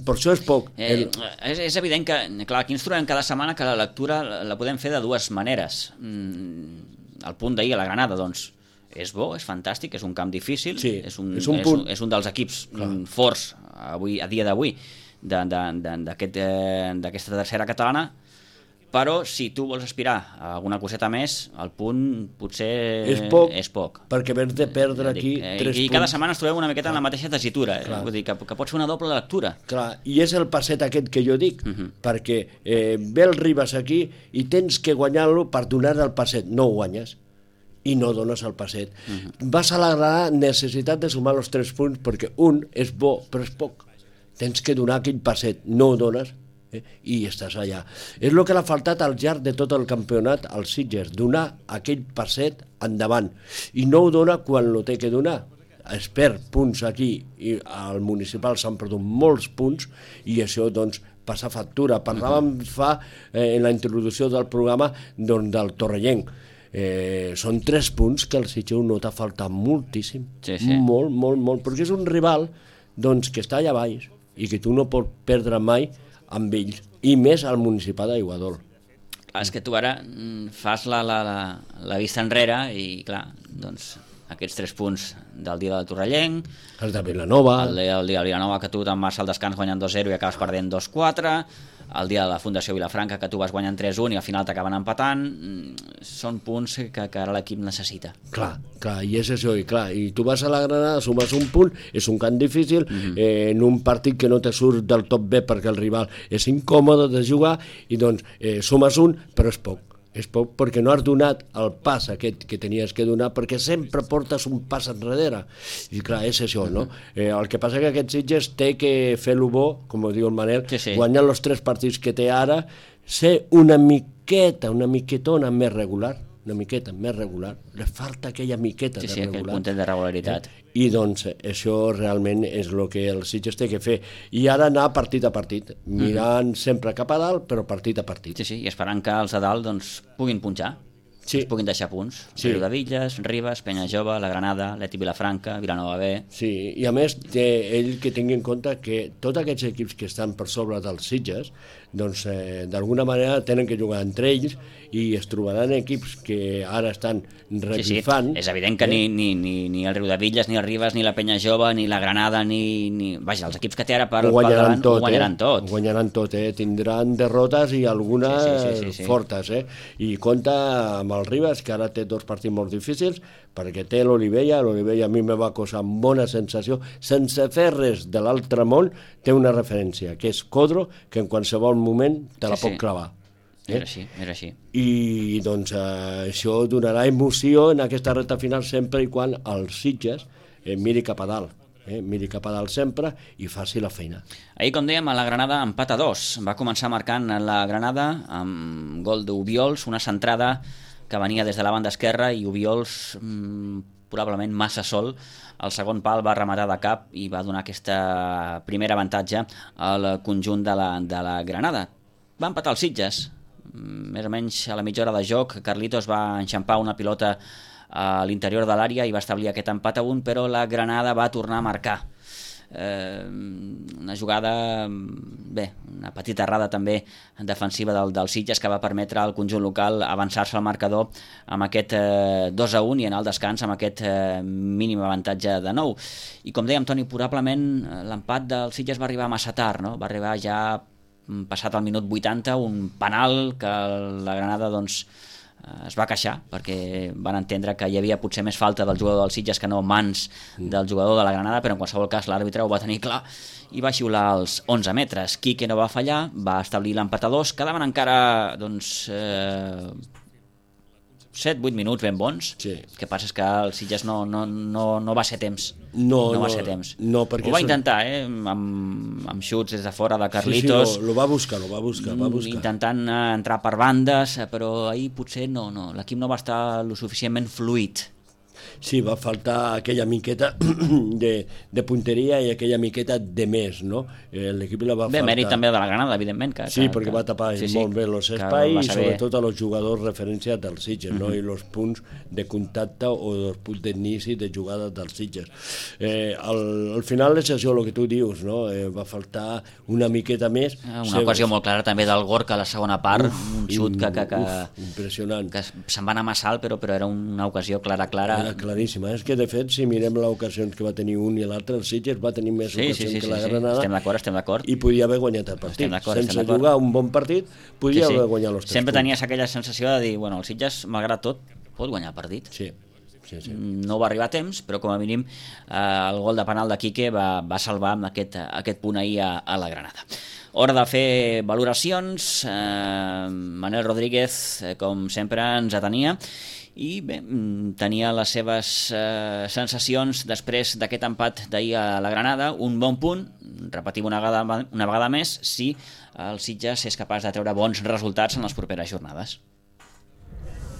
Per això és poc. És evident que, clar, aquí ens trobem cada setmana que la lectura la podem fer de dues maneres. El punt d'ahir a la Granada, doncs, és bo, és fantàstic, és un camp difícil, és un dels equips forts avui, a dia d'avui d'aquesta tercera catalana, però si tu vols aspirar a alguna coseta més, el punt potser és poc. Perquè vens de perdre aquí 3 punts. I cada setmana ens trobem una miqueta en la mateixa tessitura, vull dir que pot ser una doble lectura. Clar, i és el passet aquest que jo dic, perquè ve el Ribes aquí i tens que guanyar-lo per donar el passet, no ho guanyes i no dones el passet. Vas a la Granada necessitat de sumar els 3 punts perquè un és bo, però és poc. Tens que donar aquell passet, no ho dones, i estàs allà. És el que l'ha faltat al llarg de tot el campionat als Sitges, donar aquell passet endavant, i no ho dona quan lo té que donar. Es perd punts aquí, i al municipal s'han perdut molts punts, i això doncs passar factura. Parlàvem en la introducció del programa del Torrellenc. Són 3 punts que el Sitges ho nota faltar moltíssim. Molt, molt, molt, perquè és un rival que està allà baix i que tu no pots perdre mai amb ells, i més al Municipal d'Aiguadol. És que tu ara fas la vista enrere i, clar, doncs aquests 3 punts del dia del Torrellenc, el de Vilanova, el dia de Vilanova, que tu te'n vas al descans guanyant 2-0 i acabes perdent 2-4, el dia de la Fundació Vilafranca, que tu vas guanyant 3-1 i al final t'acaben empatant. Són punts que ara l'equip necessita. Clar, i és això, i tu vas a la Granada, sumes un punt, és un camp difícil, en un partit que no te surt del tot bé perquè el rival és incòmode de jugar, i doncs sumes un, però és poc perquè no has donat el pas aquest que tenies que donar, perquè sempre portes un pas enrere, i clar, és això, no? El que passa que aquest Sitges té que fer-lo bo, com diu el Manel, guanyant els 3 partits que té ara, ser una miquetona més regular, li falta aquella miqueta de regular. Aquell puntet de regularitat. I doncs això realment és el que el Sitges té que fer, i ara anar partit a partit, mirant sempre cap a dalt, però partit a partit. I esperant que els de dalt puguin punxar, es puguin deixar punts. Riudevilles, Ribes, Penyajove, la Granada, l'Eti Vilafranca, Vilanova B. Sí, i a més ell que tingui en compte que tots aquests equips que estan per sobre dels Sitges, doncs d'alguna manera tenen que jugar entre ells, i es trobaran equips que ara estan revifant. És evident que ni el Riudevilles, ni el Ribes, ni la Penyajove, ni la Granada, vaja, els equips que té ara per davant ho guanyaran tot. Ho guanyaran tot, tindran derrotes i algunes fortes, i compta amb el Ribes, que ara té 2 partits molt difícils, perquè té l'Olivella a mi me va causar bona sensació, sense fer res de l'altre món, té una referència, que és Codro, que en qualsevol moment te la pot clavar. Era així. I doncs això donarà emoció en aquesta recta final sempre i quan el Sitges miri cap a dalt. Miri cap a dalt sempre i faci la feina. Ahir, com dèiem, a la Granada empat a 2. Va començar marcant la Granada amb gol d'Obiols, una centrada que venia des de la banda esquerra, i Obiols, probablement massa sol, el segon pal va rematar de cap i va donar aquesta primera avantatge al conjunt de la Granada. Va empatar el Sitges, més o menys a la mitja hora de joc. Carlitos va enxampar una pilota a l'interior de l'àrea i va establir aquest empat a 1, però la Granada va tornar a marcar. Una jugada, una petita errada també defensiva del Sitges, que va permetre al conjunt local avançar-se al marcador amb aquest 2-1 i anar al descans amb aquest mínim avantatge de 9. I com dèiem, Toni, probablement l'empat del Sitges va arribar massa tard, no? Va arribar ja passat el minut 80, un penal que la Granada es va queixar, perquè van entendre que hi havia potser més falta del jugador del Sitges que no mans del jugador de la Granada, però en qualsevol cas l'àrbitre ho va tenir clar i va xiular als 11 metres. Quique no va fallar, va establir l'empat a 2, quedaven encara 7-8 minuts ben bons. El que passa és que el Sitges no va ser temps. No va ser temps. Ho va intentar, amb xuts des de fora de Carlitos. Sí, lo va buscar. Intentant entrar per bandes, però ahir potser l'equip no va estar lo suficientment fluid. Sí, va faltar aquella miqueta de punteria i aquella miqueta de més, no? L'equip la va faltar. Mèrit també de la Granada, evidentment. Perquè va tapar molt bé els espais i sobretot a els jugadors referència dels Sitges, no? I els punts de contacte o els punts d'inici de jugada dels Sitges. Al final és això el que tu dius, no? Va faltar una miqueta més. Una ocasió molt clara també del Gorka a la segona part, un xut impressionant, que se'n va anar massa alt, però era una ocasió clara. Era claríssima. És que, de fet, si mirem les ocasions que va tenir un i l'altre, el Sitges va tenir més ocasions que la Granada. Estem d'acord. I podia haver guanyat el partit. Sense jugar un bon partit, podia haver guanyat els 3 punts. Sempre tenies aquella sensació de dir, el Sitges, malgrat tot, pot guanyar el partit. Sí. No va arribar a temps, però com a mínim el gol de penal de Quique va salvar amb aquest punt ahir a la Granada. Hora de fer valoracions. Manel Rodríguez, com sempre, ens atenia i tenia les seves sensacions després d'aquest empat d'ahir a la Granada. Un bon punt, repetim una vegada més, si el Sitges és capaç de treure bons resultats en les properes jornades.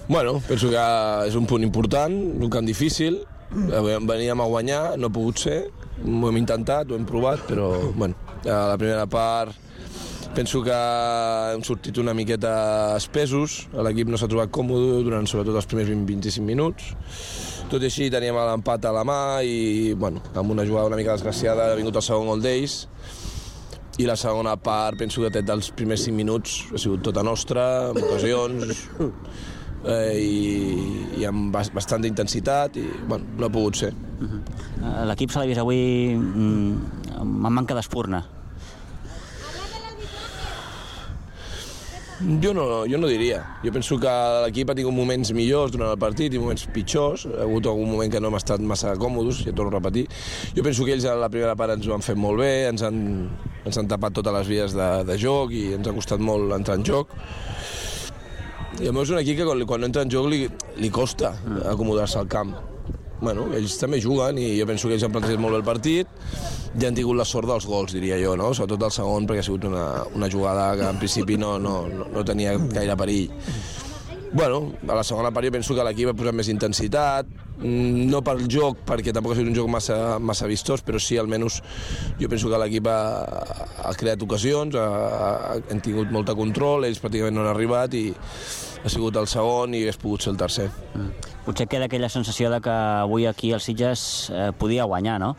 Penso que és un punt important, un camp difícil, veníem a guanyar, no ha pogut ser, ho hem intentat, ho hem provat, però a la primera part Penso que hem sortit una miqueta espesos, l'equip no s'ha trobat còmode durant sobretot els primers 20-25 minuts. Tot i així teníem l'empat a la mà i, bueno, amb una jugada una mica desgraciada ha vingut el segon gol d'ells. I la segona part, penso que dels primers 5 minuts ha sigut tota nostra, amb ocasions, i amb bastant d'intensitat, i bueno, no ha pogut ser. L'equip se l'ha vist avui amb manca d'espurna. Jo no diria. Jo penso que l'equip ha tingut moments millors durant el partit i moments pitjors. Ha hagut algun moment que no hem estat massa còmodes, ja torno a repetir. Jo penso que ells a la primera part ens ho han fet molt bé, ens han tapat totes les vies de joc i ens ha costat molt entrar en joc. I a mi és un equip que quan entra en joc li costa acomodar-se al camp. Bueno, ells també juguen i jo penso que ells han plantejat molt bé el partit i han tingut la sort dels gols, diria jo, no? Sobretot el segon, perquè ha sigut una jugada que en principi no tenia gaire perill. Bueno, a la segona part jo penso que l'equip ha posat més intensitat, no pel joc, perquè tampoc ha sigut un joc massa vistós, però sí, almenys, jo penso que l'equip ha creat ocasions, han tingut molt de control, ells pràcticament no han arribat i ha sigut el segon i hagués pogut ser el tercer. Potser queda aquella sensació de que avui aquí el Sitges podia guanyar, no?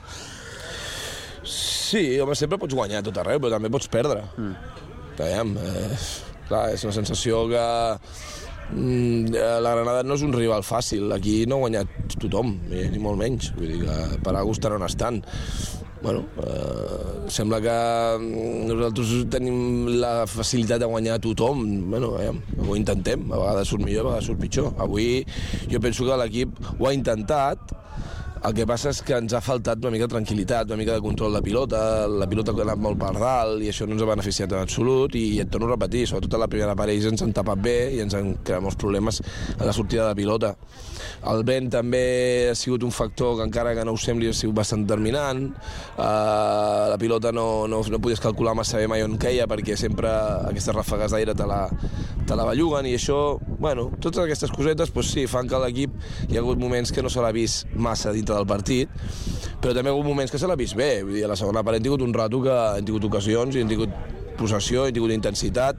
Sí, home, sempre pots guanyar a tot arreu, però també pots perdre. Veiem, clar, és una sensació que la Granada no és un rival fàcil, aquí no ha guanyat tothom, ni molt menys, vull dir que per algú estan on estan. Bueno, sembla que nosaltres tenim la facilitat de guanyar a tothom. Bueno, ho intentem, a vegades surt millor, a vegades surt pitjor. Avui jo penso que l'equip ho ha intentat. El que passa és que ens ha faltat una mica de tranquil·litat, una mica de control de pilota, la pilota ha anat molt per dalt i això no ens ha beneficiat en absolut i et torno a repetir, sobretot a la primera part ells ens han tapat bé i ens han creat molts problemes a la sortida de pilota. El vent també ha sigut un factor que encara que no ho sembli ha sigut bastant determinant, la pilota no podies calcular massa bé mai on queia perquè sempre aquestes ràfegues d'aire te la belluguen i això, bueno, totes aquestes cosetes doncs sí, fan que l'equip hi ha hagut moments que no se l'ha vist massa dintre del partit, però també hi ha hagut moments que se l'ha vist bé, vull dir, a la segona part hem tingut un rato que hem tingut ocasions i hem tingut possessió, hem tingut intensitat,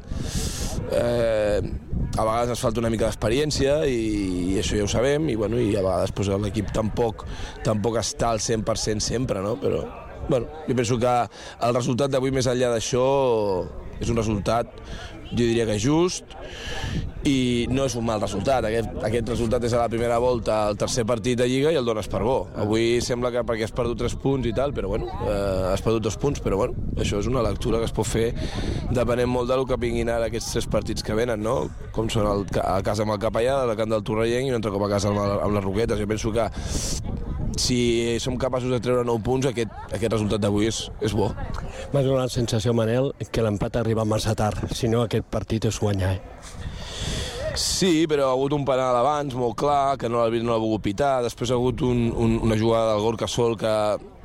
a vegades ens falta una mica d'experiència i això ja ho sabem i, bueno, i a vegades doncs, l'equip tampoc està al 100% sempre, no? Però bueno, jo penso que el resultat d'avui més enllà d'això és un resultat, jo diria que just i no és un mal resultat. Aquest resultat és a la primera volta el tercer partit de Lliga i el dones per bo. Avui sembla que perquè has perdut 3 punts i tal, però bueno, has perdut 2 punts, però bueno, això és una lectura que es pot fer depenent molt del que vinguin ara aquests 3 partits que venen, no? Com són a casa amb el Capellà, al camp del Torrellenc i un altre cop a casa amb les Roquetes. Jo penso que si som capaços de treure 9 punts, aquest resultat d'avui és bo. M'ha donat la sensació, Manel, que l'empat arriba massa tard, si no aquest partit és guanyar. Sí, però ha hagut un penal abans, molt clar, que l'àrbitre no l'ha volgut pitar, després ha hagut una jugada del Gorka Sol que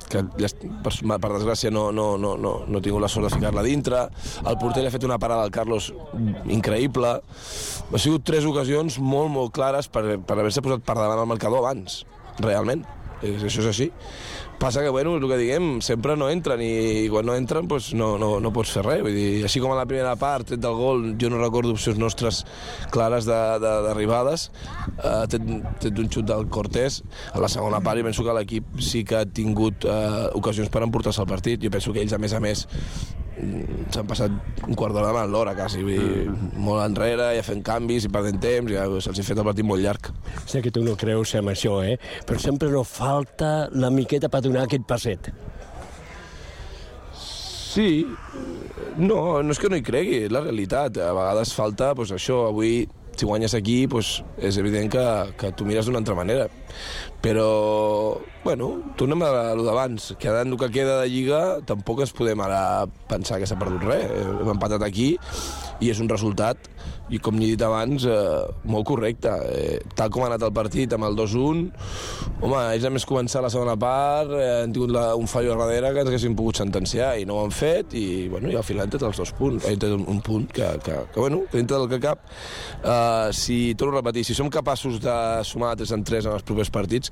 per desgràcia no ha tingut la sort de ficar-la dintre, el porter li ha fet una parada al Carlos increïble, ha sigut 3 ocasions molt clares per haver-se posat per davant el marcador abans, realment. Això és així. Passa que, bueno, és el que diguem, sempre no entren i quan no entren doncs no pots fer res. Vull dir, així com a la primera part, tret del gol, jo no recordo opcions nostres clares d'arribades, tret d'un xut del Cortés. A la segona part jo penso que l'equip sí que ha tingut ocasions per emportar-se el partit. Jo penso que ells, a més, s'han passat un quart d'hora davant l'hora, quasi, molt enrere, ja fent canvis i perdent temps, ja se'ls ha fet el partit molt llarg. Sé que tu no creus en això, però sempre no falta la miqueta per donar aquest passet. Sí, no és que no hi cregui, és la realitat. A vegades falta, doncs això, avui si guanyes aquí, doncs és evident que tu mires d'una altra manera. Però, bueno, tornem a lo d'abans. Quedant el que queda de Lliga, tampoc ens podem ara pensar que s'ha perdut res. Hem empatat aquí i és un resultat i com he dit abans, molt correcte. Tal com ha anat el partit amb el 2-1, home, ells a més començar la segona part, han tingut un fallo a darrere que ens haguessin pogut sentenciar i no ho han fet, i al final han tret els 2 punts. Han tret un punt que dintre del que cap, si, torno a repetir, si som capaços de sumar 3-3 en els propers partits,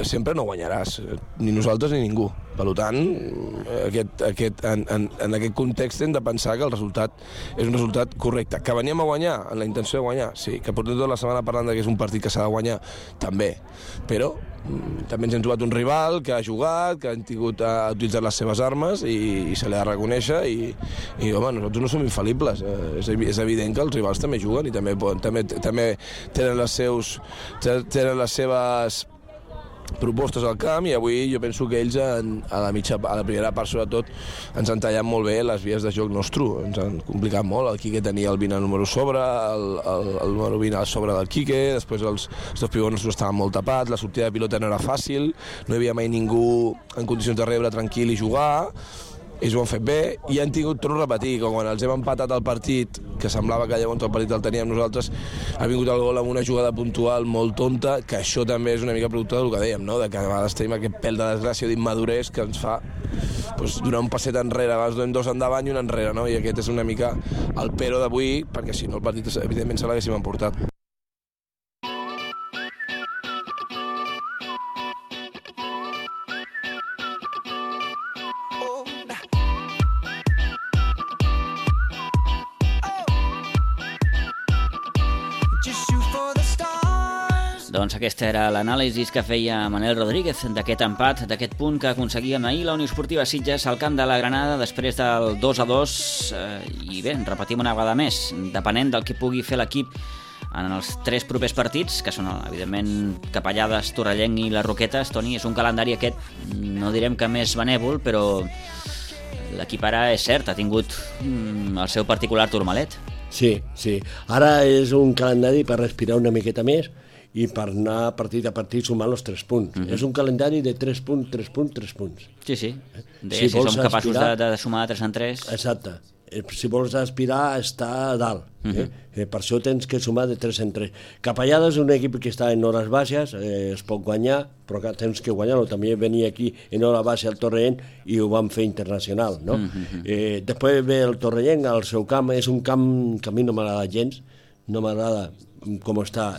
sempre no guanyaràs, ni nosaltres ni ningú. Per tant, en aquest context hem de pensar que el resultat és un resultat correcte. Que veníem a guanyar, en la intenció de guanyar, sí. Que portem tota la setmana parlant que és un partit que s'ha de guanyar, també. Però també ens hem trobat un rival que ha jugat, que ha utilitzat les seves armes i se li ha de reconèixer i home, nosaltres no som infal·libles. És evident que els rivals també juguen i també tenen les seves propostes al camp, i avui jo penso que ells a la primera part sobretot ens han tallat molt bé les vies de joc nostre, ens han complicat molt. El Quique tenia el 20 número sobre, el número 20 a sobre del Quique, després els dos pivots nostres estaven molt tapats, la sortida de pilota no era fàcil, no hi havia mai ningú en condicions de rebre tranquil i jugar. Ells ho han fet bé i han tingut, torno a repetir, que quan els hem empatat el partit, que semblava que llavors el partit el teníem nosaltres, ha vingut el gol amb una jugada puntual molt tonta, que això també és una mica producte del que dèiem, no? De que a vegades tenim aquest pèl de desgràcia o d'immadurez que ens fa donar un passet enrere, a vegades donem 2 endavant i un enrere, no? I aquest és una mica el pero d'avui, perquè si no el partit evidentment se l'haguéssim emportat. Doncs aquesta era l'anàlisi que feia Manel Rodríguez d'aquest empat, d'aquest punt que aconseguien ahir la Unió Esportiva Sitges al camp de la Granada després del 2-2, i bé, repetim una vegada més, depenent del que pugui fer l'equip en els 3 propers partits, que són evidentment Capellades, Torrellenc i les Roquetes. Toni, és un calendari aquest, no direm que més benèvol, però l'equip ara és cert, ha tingut el seu particular turmalet. Sí. Ara és un calendari per respirar una miqueta més i per anar partit a partit sumant els 3 punts. És un calendari de 3 punts, 3 punts, 3 punts. Sí. Si som capaços de sumar de 3 en 3... Exacte. Si vols aspirar a estar a dalt. Per això tens que sumar de 3 en 3. Capellades és un equip que està en hores baixes, es pot guanyar, però que tens que guanyar-lo. També venia aquí en hora baixa al Torrellenc i ho van fer internacional, no? Després ve el Torrellenc al seu camp, és un camp que a mi no m'agrada gens, no m'agrada com està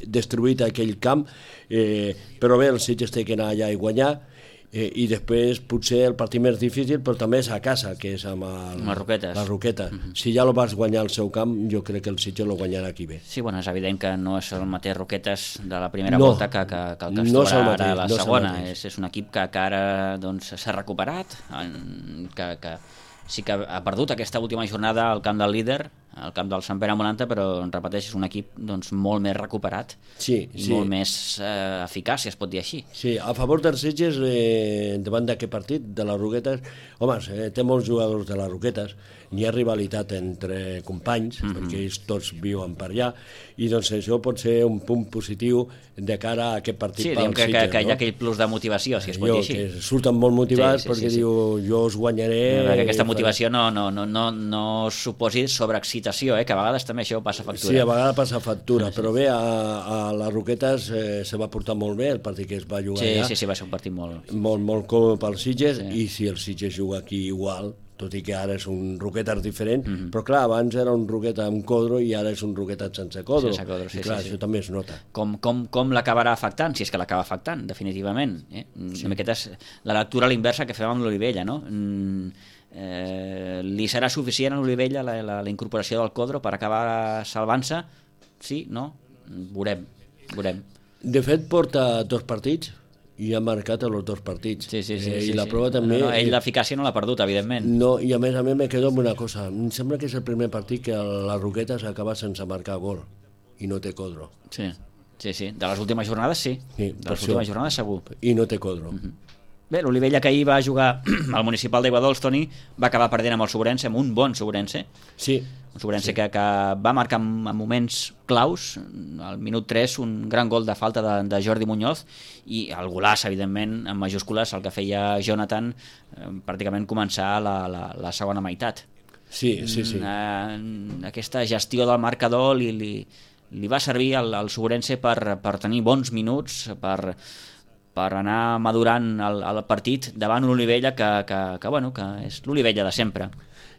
destruït aquell camp, però bé, el Sitges té que anar allà i guanyar, i després potser el partit més difícil, però també és a casa, que és amb les Roquetes. Si ja lo vas guanyar al seu camp, jo crec que el Sitges lo guanyarà aquí bé. Sí, bueno, és evident que no és el mateix Roquetes de la primera volta que el que es trobarà ara a la segona. És un equip que ara s'ha recuperat, que sí que ha perdut aquesta última jornada al camp del líder, al camp del Sant Pere Molanta, però repeteix, és un equip molt més recuperat, molt més eficaç, si es pot dir així. Sí, a favor dels Sitges, davant d'aquest partit de les Roquetes, home, té molts jugadors de les Roquetes, n'hi ha rivalitat entre companys, perquè ells tots viuen per allà, i doncs això pot ser un punt positiu de cara a aquest partit pel Sitges. Sí, que hi ha aquell plus de motivació, si es pot dir així. Que surten molt motivats perquè diu, jo us guanyaré... Perquè aquesta motivació no suposi sobreexcitació, que a vegades també això passa factura. Sí, a vegades passa factura, però bé, a les Roquetes se va portar molt bé el partit que es va jugar allà. Sí, va ser un partit molt còmode pel Sitges, i si el Sitges juga aquí igual, tot i que ara és un Roquetes diferent, però clar, abans era un Roquetes amb Codro i ara és un Roquetes sense Codro. I clar, això també es nota. Com l'acabarà afectant, si és que l'acaba afectant, definitivament. Aquesta és la lectura a l'inversa que fem amb l'Olivella, no? Li serà suficient a l'Olivella la incorporació del Codro per acabar salvant-se? Sí? No? Veurem. De fet, porta 2 partits i ha marcat els 2 partits. I la prova també... Ell l'eficàcia no l'ha perdut, evidentment. No, i a més me quedo amb una cosa. Em sembla que és el primer partit que les Roquetes acaba sense marcar gol i no té Codro. Sí. De les últimes jornades sí. De les últimes jornades segur. I no té Codro. Bé, l'Olivella, que ahir va jugar al Municipal d'Aiguadols, Toni, va acabar perdent amb el Sobrense, amb un bon Sobrense. Sí. Un Sobrense que va marcar en moments claus, al minut 3, un gran gol de falta de Jordi Muñoz, i el golaç, evidentment, en majúscules, el que feia Jonathan, pràcticament començar la segona meitat. Sí. Aquesta gestió del marcador li va servir al Sobrense per tenir bons minuts, per anar madurant el partit davant un Olivella que és l'Olivella de sempre.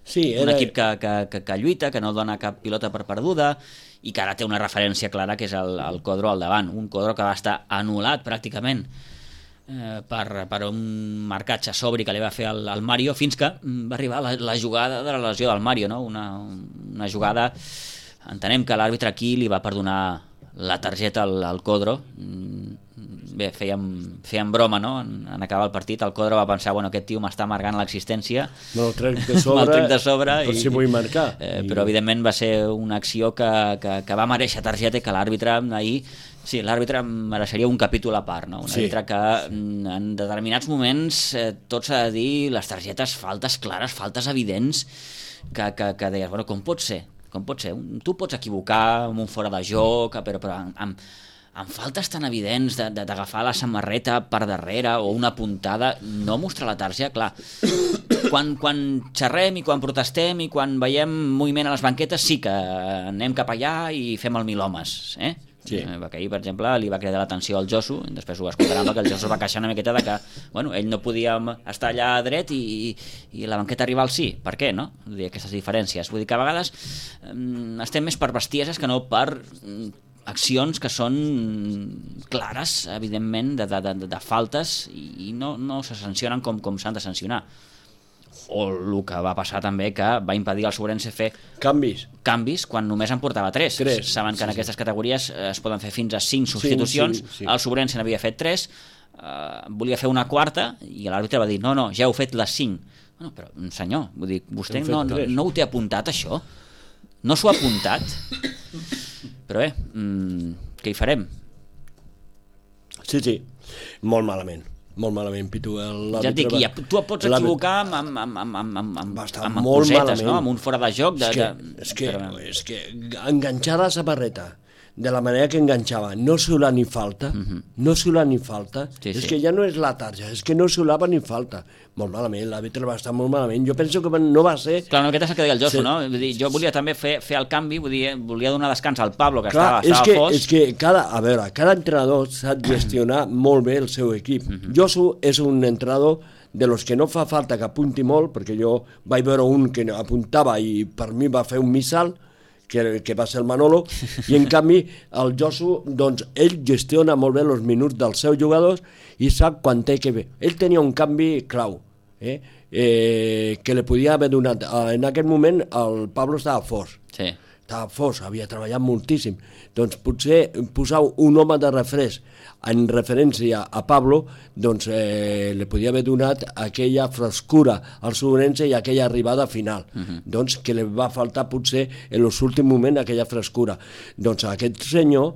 Sí, un equip que lluita, que no dona cap pilota per perduda i que ara té una referència clara que és el Codro al davant, un Codro que va estar anul·lat pràcticament per un marcatge sobri que li va fer el Mario, fins que va arribar la jugada de la lesió del Mario, no? Una jugada, entenem que l'àrbitre aquí li va perdonar la targeta al Codro. Bé, fèiem broma, no? En acabar el partit el Codro va pensar, aquest tio m'està amargant l'existència, me'l trec de sobre per si vull marcar, però evidentment va ser una acció que va mereixer targeta i que l'àrbitre ahir, sí, l'àrbitre mereixeria un capítol a part, no? Un àrbitre que en determinats moments tot s'ha de dir, les targetes, faltes clares, faltes evidents, que deies, com pot ser? Tu pots equivocar amb un fora de joc, però amb faltes tan evidents d'agafar la samarreta per darrere o una puntada, no mostrar la targeta, clar. Quan xerrem i quan protestem i quan veiem moviment a les banquetes sí que anem cap allà i fem el mil homes, Sí. Perquè ahir, per exemple, li va cridar l'atenció al Josu, després ho escoltarem, que el Josu va queixar una miqueta de que ell no podia estar allà dret i la banqueta rival sí. Per què, no? Vull dir, aquestes diferències. Vull dir que a vegades estem més per bestieses que no per accions que són clares, evidentment, de faltes i no se sancionen com s'han de sancionar. O el que va passar també, que va impedir al Sobrense fer canvis quan només en portava 3. Saben que en aquestes categories es poden fer fins a 5 substitucions. El Sobrense n'havia fet 3, volia fer una quarta i l'àrbitre va dir no, ja heu fet les 5. Però senyor, vull dir, vostè no ho té apuntat, això? No s'ho ha apuntat? Però bé, què hi farem? Sí, molt malament, Pitu. Ja et dic, tu et pots equivocar amb cosetes, no? Amb un fora de joc. És que enganxar la samarreta de la manera que enganxava, no xiular ni falta, és que ja no és la tarja, és que no xiulava ni falta. Molt malament, l'àrbitre va estar molt malament. Jo penso que no va ser... Clar, aquest és el que deia el Josu, no? Vull dir, jo volia també fer el canvi, volia donar descans al Pablo, que estava fos. És que cada entrenador sap gestionar molt bé el seu equip. Josu és un entrenador de los que no fa falta que apunti molt, perquè jo vaig veure un que apuntava i per mi va fer un missal, que va ser el Manolo, i en canvi el Josu, doncs ell gestiona molt bé els minuts dels seus jugadors i sap quan té que fer. Ell tenia un canvi clau, que li podia haver donat. En aquest moment el Pablo estava fos. Estava fos, havia treballat moltíssim. Doncs potser posar un home de refresc en referència a Pablo, doncs li podia haver donat aquella frescura al Sobrense i aquella arribada final, doncs que li va faltar potser en l'últim moment aquella frescura. Doncs aquest senyor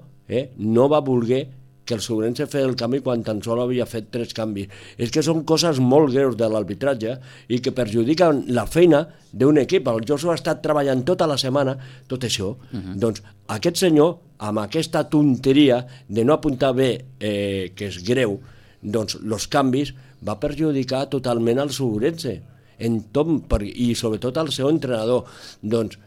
no va voler que el Sobrense fes el canvi quan tan sol havia fet 3 canvis. És que són coses molt greus de l'arbitratge i que perjudiquen la feina d'un equip. El Josu ha estat treballant tota la setmana tot això. Doncs aquest senyor, amb aquesta tonteria de no apuntar bé, que és greu, doncs els canvis va perjudicar totalment el Sobrense. I sobretot el seu entrenador. Doncs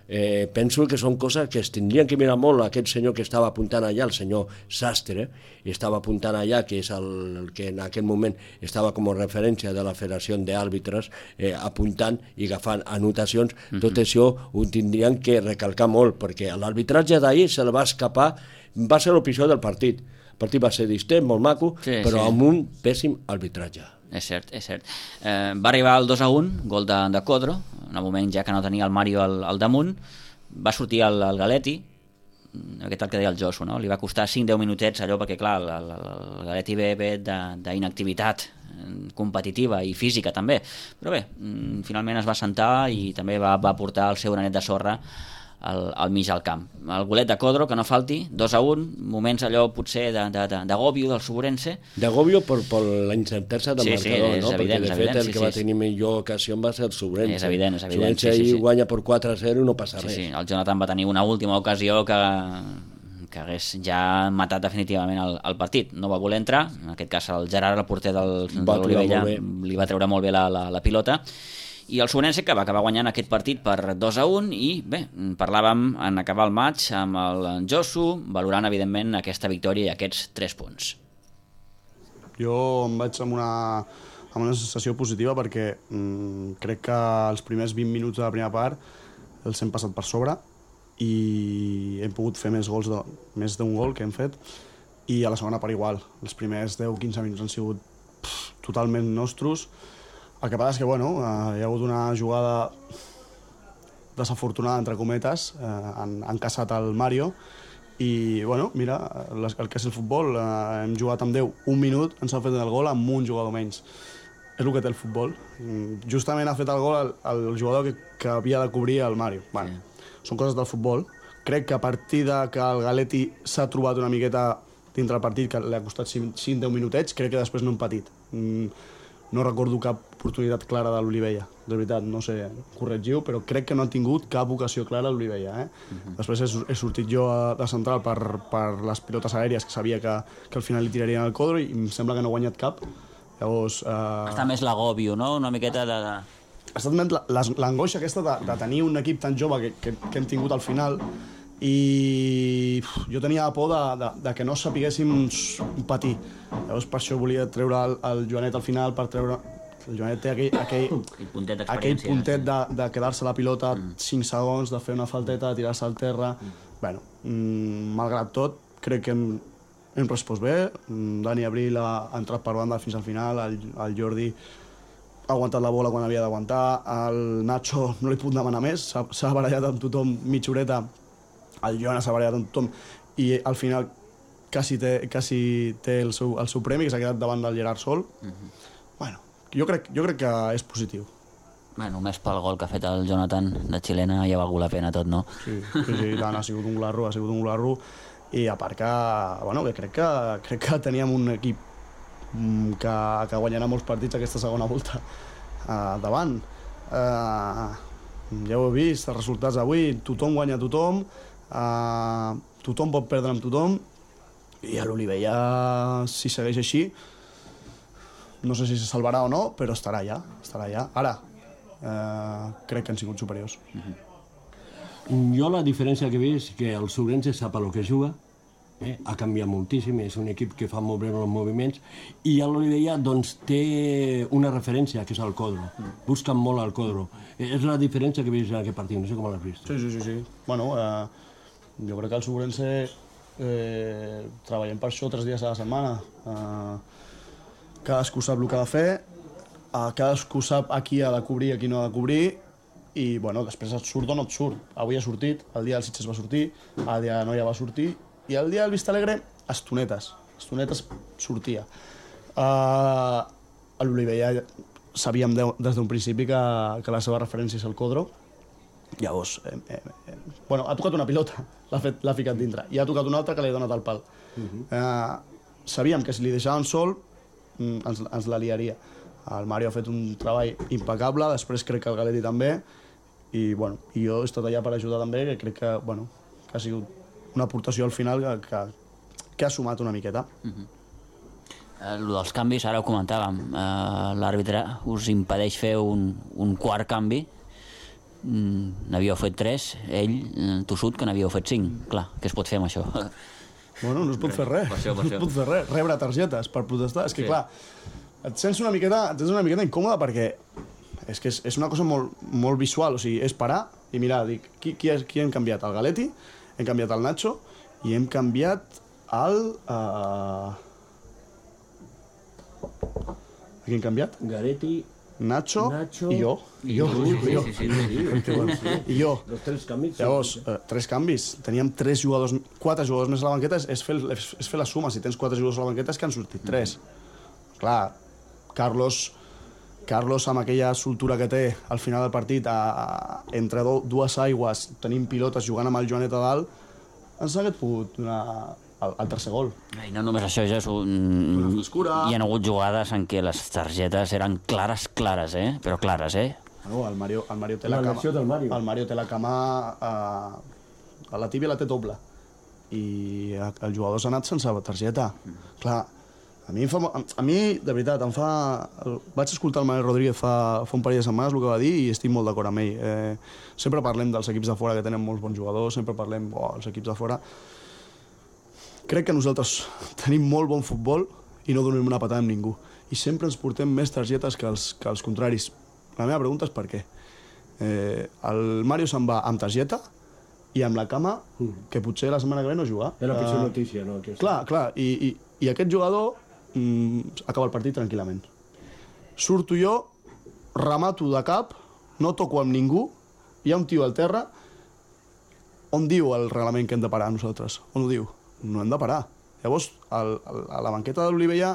penso que són coses que es tindrien que mirar molt. Aquest senyor que estava apuntant allà, el senyor Sastre, estava apuntant allà, que és el que en aquell moment estava com a referència de la Federació d'Àrbitres, apuntant i agafant anotacions. Tot això ho tindrien que recalcar molt, perquè l'arbitratge d'ahir se li va escapar, va ser l'episodi del partit. El partit va ser distent, molt maco, però amb un pèssim arbitratge. És cert. Va arribar el 2-1, gol de Codro, en el moment ja que no tenia el Mario al damunt. Va sortir el Galetti, aquest el que deia el Josu, no? Li va costar 5-10 minutets allò, perquè clar, el Galetti ve d'inactivitat competitiva i física també, però bé, finalment es va assentar i també va portar el seu granet de sorra al mig del camp. El golet de Codro, que no falti, 2-1, moments allò potser d'agòbio del Sobrense. D'agòbio per la incertesa del marcador, no? Perquè de fet el que va tenir millor ocasió va ser el Sobrense. És evident. El Sobrense ahir guanya per 4-0 i no passa res. Sí, el Jonathan va tenir una última ocasió que hagués ja matat definitivament el partit. No va voler entrar, en aquest cas el Gerard, el porter de l'Olivella, li va treure molt bé la pilota I el Sonense, que va acabar guanyant aquest partit per 2-1, i bé, parlàvem en acabar el maig amb el Josu, valorant evidentment aquesta victòria i aquests 3 punts. Jo em vaig amb una sensació positiva perquè crec que els primers 20 minuts de la primera part els hem passat per sobre i hem pogut fer més d'un gol que hem fet, i a la segona part igual. Els primers 10-15 minuts han sigut totalment nostres. El que passa és que hi ha hagut una jugada desafortunada, entre cometes, han caçat el Mario, i mira, el que és el futbol, hem jugat amb 10 un minut, ens ha fet el gol amb un jugador menys. És el que té el futbol. Justament ha fet el gol el jugador que havia de cobrir el Mario. Són coses del futbol. Crec que a partir que el Galetti s'ha trobat una miqueta dintre el partit, que li ha costat 5-10 minutets, crec que després no hem patit. No recordo cap oportunitat clara de l'Olivella, de veritat, no sé, corregiu, però crec que no ha tingut cap ocasió clara l'Olivella. Després he sortit jo de central per les pilotes aèries, que sabia que al final li tirarien el Codro, i em sembla que no ha guanyat cap. Llavors... Està més l'agòbio, no? Una miqueta de... Ha estat més l'angoixa aquesta de tenir un equip tan jove que hem tingut al final, i jo tenia por de que no sapiguéssim patir. Llavors per això volia treure el Joanet al final, per treure... El Joanet té aquell puntet de quedar-se la pilota 5 segons, de fer una falteta, de tirar-se al terra... Malgrat tot, crec que hem respost bé. Dani Abril ha entrat per banda fins al final, el Jordi ha aguantat la bola quan havia d'aguantar, el Nacho no li puc demanar més, s'ha barallat amb tothom mitja horeta, el Joana s'ha barallat amb tothom, i al final quasi té el seu premi, que s'ha quedat davant del Gerard sol. Jo crec que és positiu. Només pel gol que ha fet el Jonathan de xilena ja ha valgut la pena tot, no? Sí, tant, ha sigut un glarro, i a part que crec que teníem un equip que guanyarà molts partits aquesta segona volta davant. Ja ho he vist, els resultats avui, tothom guanya tothom, tothom pot perdre amb tothom, i a l'Olivella, si segueix així, no sé si se salvarà o no, però estarà allà. Ara, crec que han sigut superiors. Jo la diferència que he vist és que el Sobrense sap el que juga, ha canviat moltíssim, és un equip que fa molt bé els moviments, i a l'Olivella té una referència, que és el Codro. Busquen molt el Codro. És la diferència que he vist en aquest partit, no sé com l'has vist. Sí. Jo crec que el Sobrense treballem per això 3 dies a la setmana. Cadascú sap el que ha de fer, cadascú sap a qui ha de cobrir i a qui no ha de cobrir, i després et surt o no et surt. Avui ha sortit, el dia del Sitges va sortir, el dia de Noia va sortir, i el dia del Vista Alegre, estonetes sortia. A l'Olivella sabíem des d'un principi que la seva referència és el Codro. Llavors, ha tocat una pilota, l'ha ficat dintre, i ha tocat una altra que li ha donat el pal. Sabíem que si li deixaven sol ens la liaria. El Mario ha fet un treball impecable, després crec que el Galetti també, i jo he estat allà per ajudar també, que crec que ha sigut una aportació al final que ha sumat una miqueta. Lo dels canvis, ara ho comentàvem, l'àrbitre us impedeix fer un quart canvi, n'havíeu fet 3, ell, tossut, que n'havíeu fet 5. Clar, què es pot fer amb això? No es pot fer res, rebre targetes per protestar. És que clar, et sents una miqueta incòmode perquè és una cosa molt visual, o sigui, és parar i mirar, dic, qui hem canviat? El Galetti, hem canviat el Nacho i hem canviat el... Qui hem canviat? Galetti, Nacho i jo. I jo. Els 3 canvis. Llavors, 3 canvis. Teníem 4 jugadors més a la banqueta, és fer la suma. Si tens 4 jugadors a la banqueta és que han sortit 3. Clar, Carlos, amb aquella soltura que té al final del partit, entre dues aigües, tenim pilotes jugant amb el Joanet a dalt, ens hagués pogut donar el tercer gol. I no només això, hi ha hagut jugades en què les targetes eren clares, però clares, El Mario té la cama a la tíbia la té doble, i el jugador s'ha anat sense targeta. Clar, A mi, de veritat, vaig escoltar el Manel Rodríguez fa un parell de setmanes el que va dir i estic molt d'acord amb ell. Sempre parlem dels equips de fora que tenen molts bons jugadors, sempre parlem dels equips de fora. Crec que nosaltres tenim molt bon futbol i no donem una patada amb ningú. I sempre ens portem més targetes que els contraris. La meva pregunta és per què. El Mario se'n va amb targeta i amb la cama, que potser la setmana que ve no juga. És la pitjor notícia, no? Clar, i aquest jugador acaba el partit tranquil·lament. Surto jo, remato de cap, no toco amb ningú, hi ha un tio al terra. On diu el reglament que hem de parar nosaltres? On ho diu? No hem de parar. Llavors, a la banqueta de l'Olivella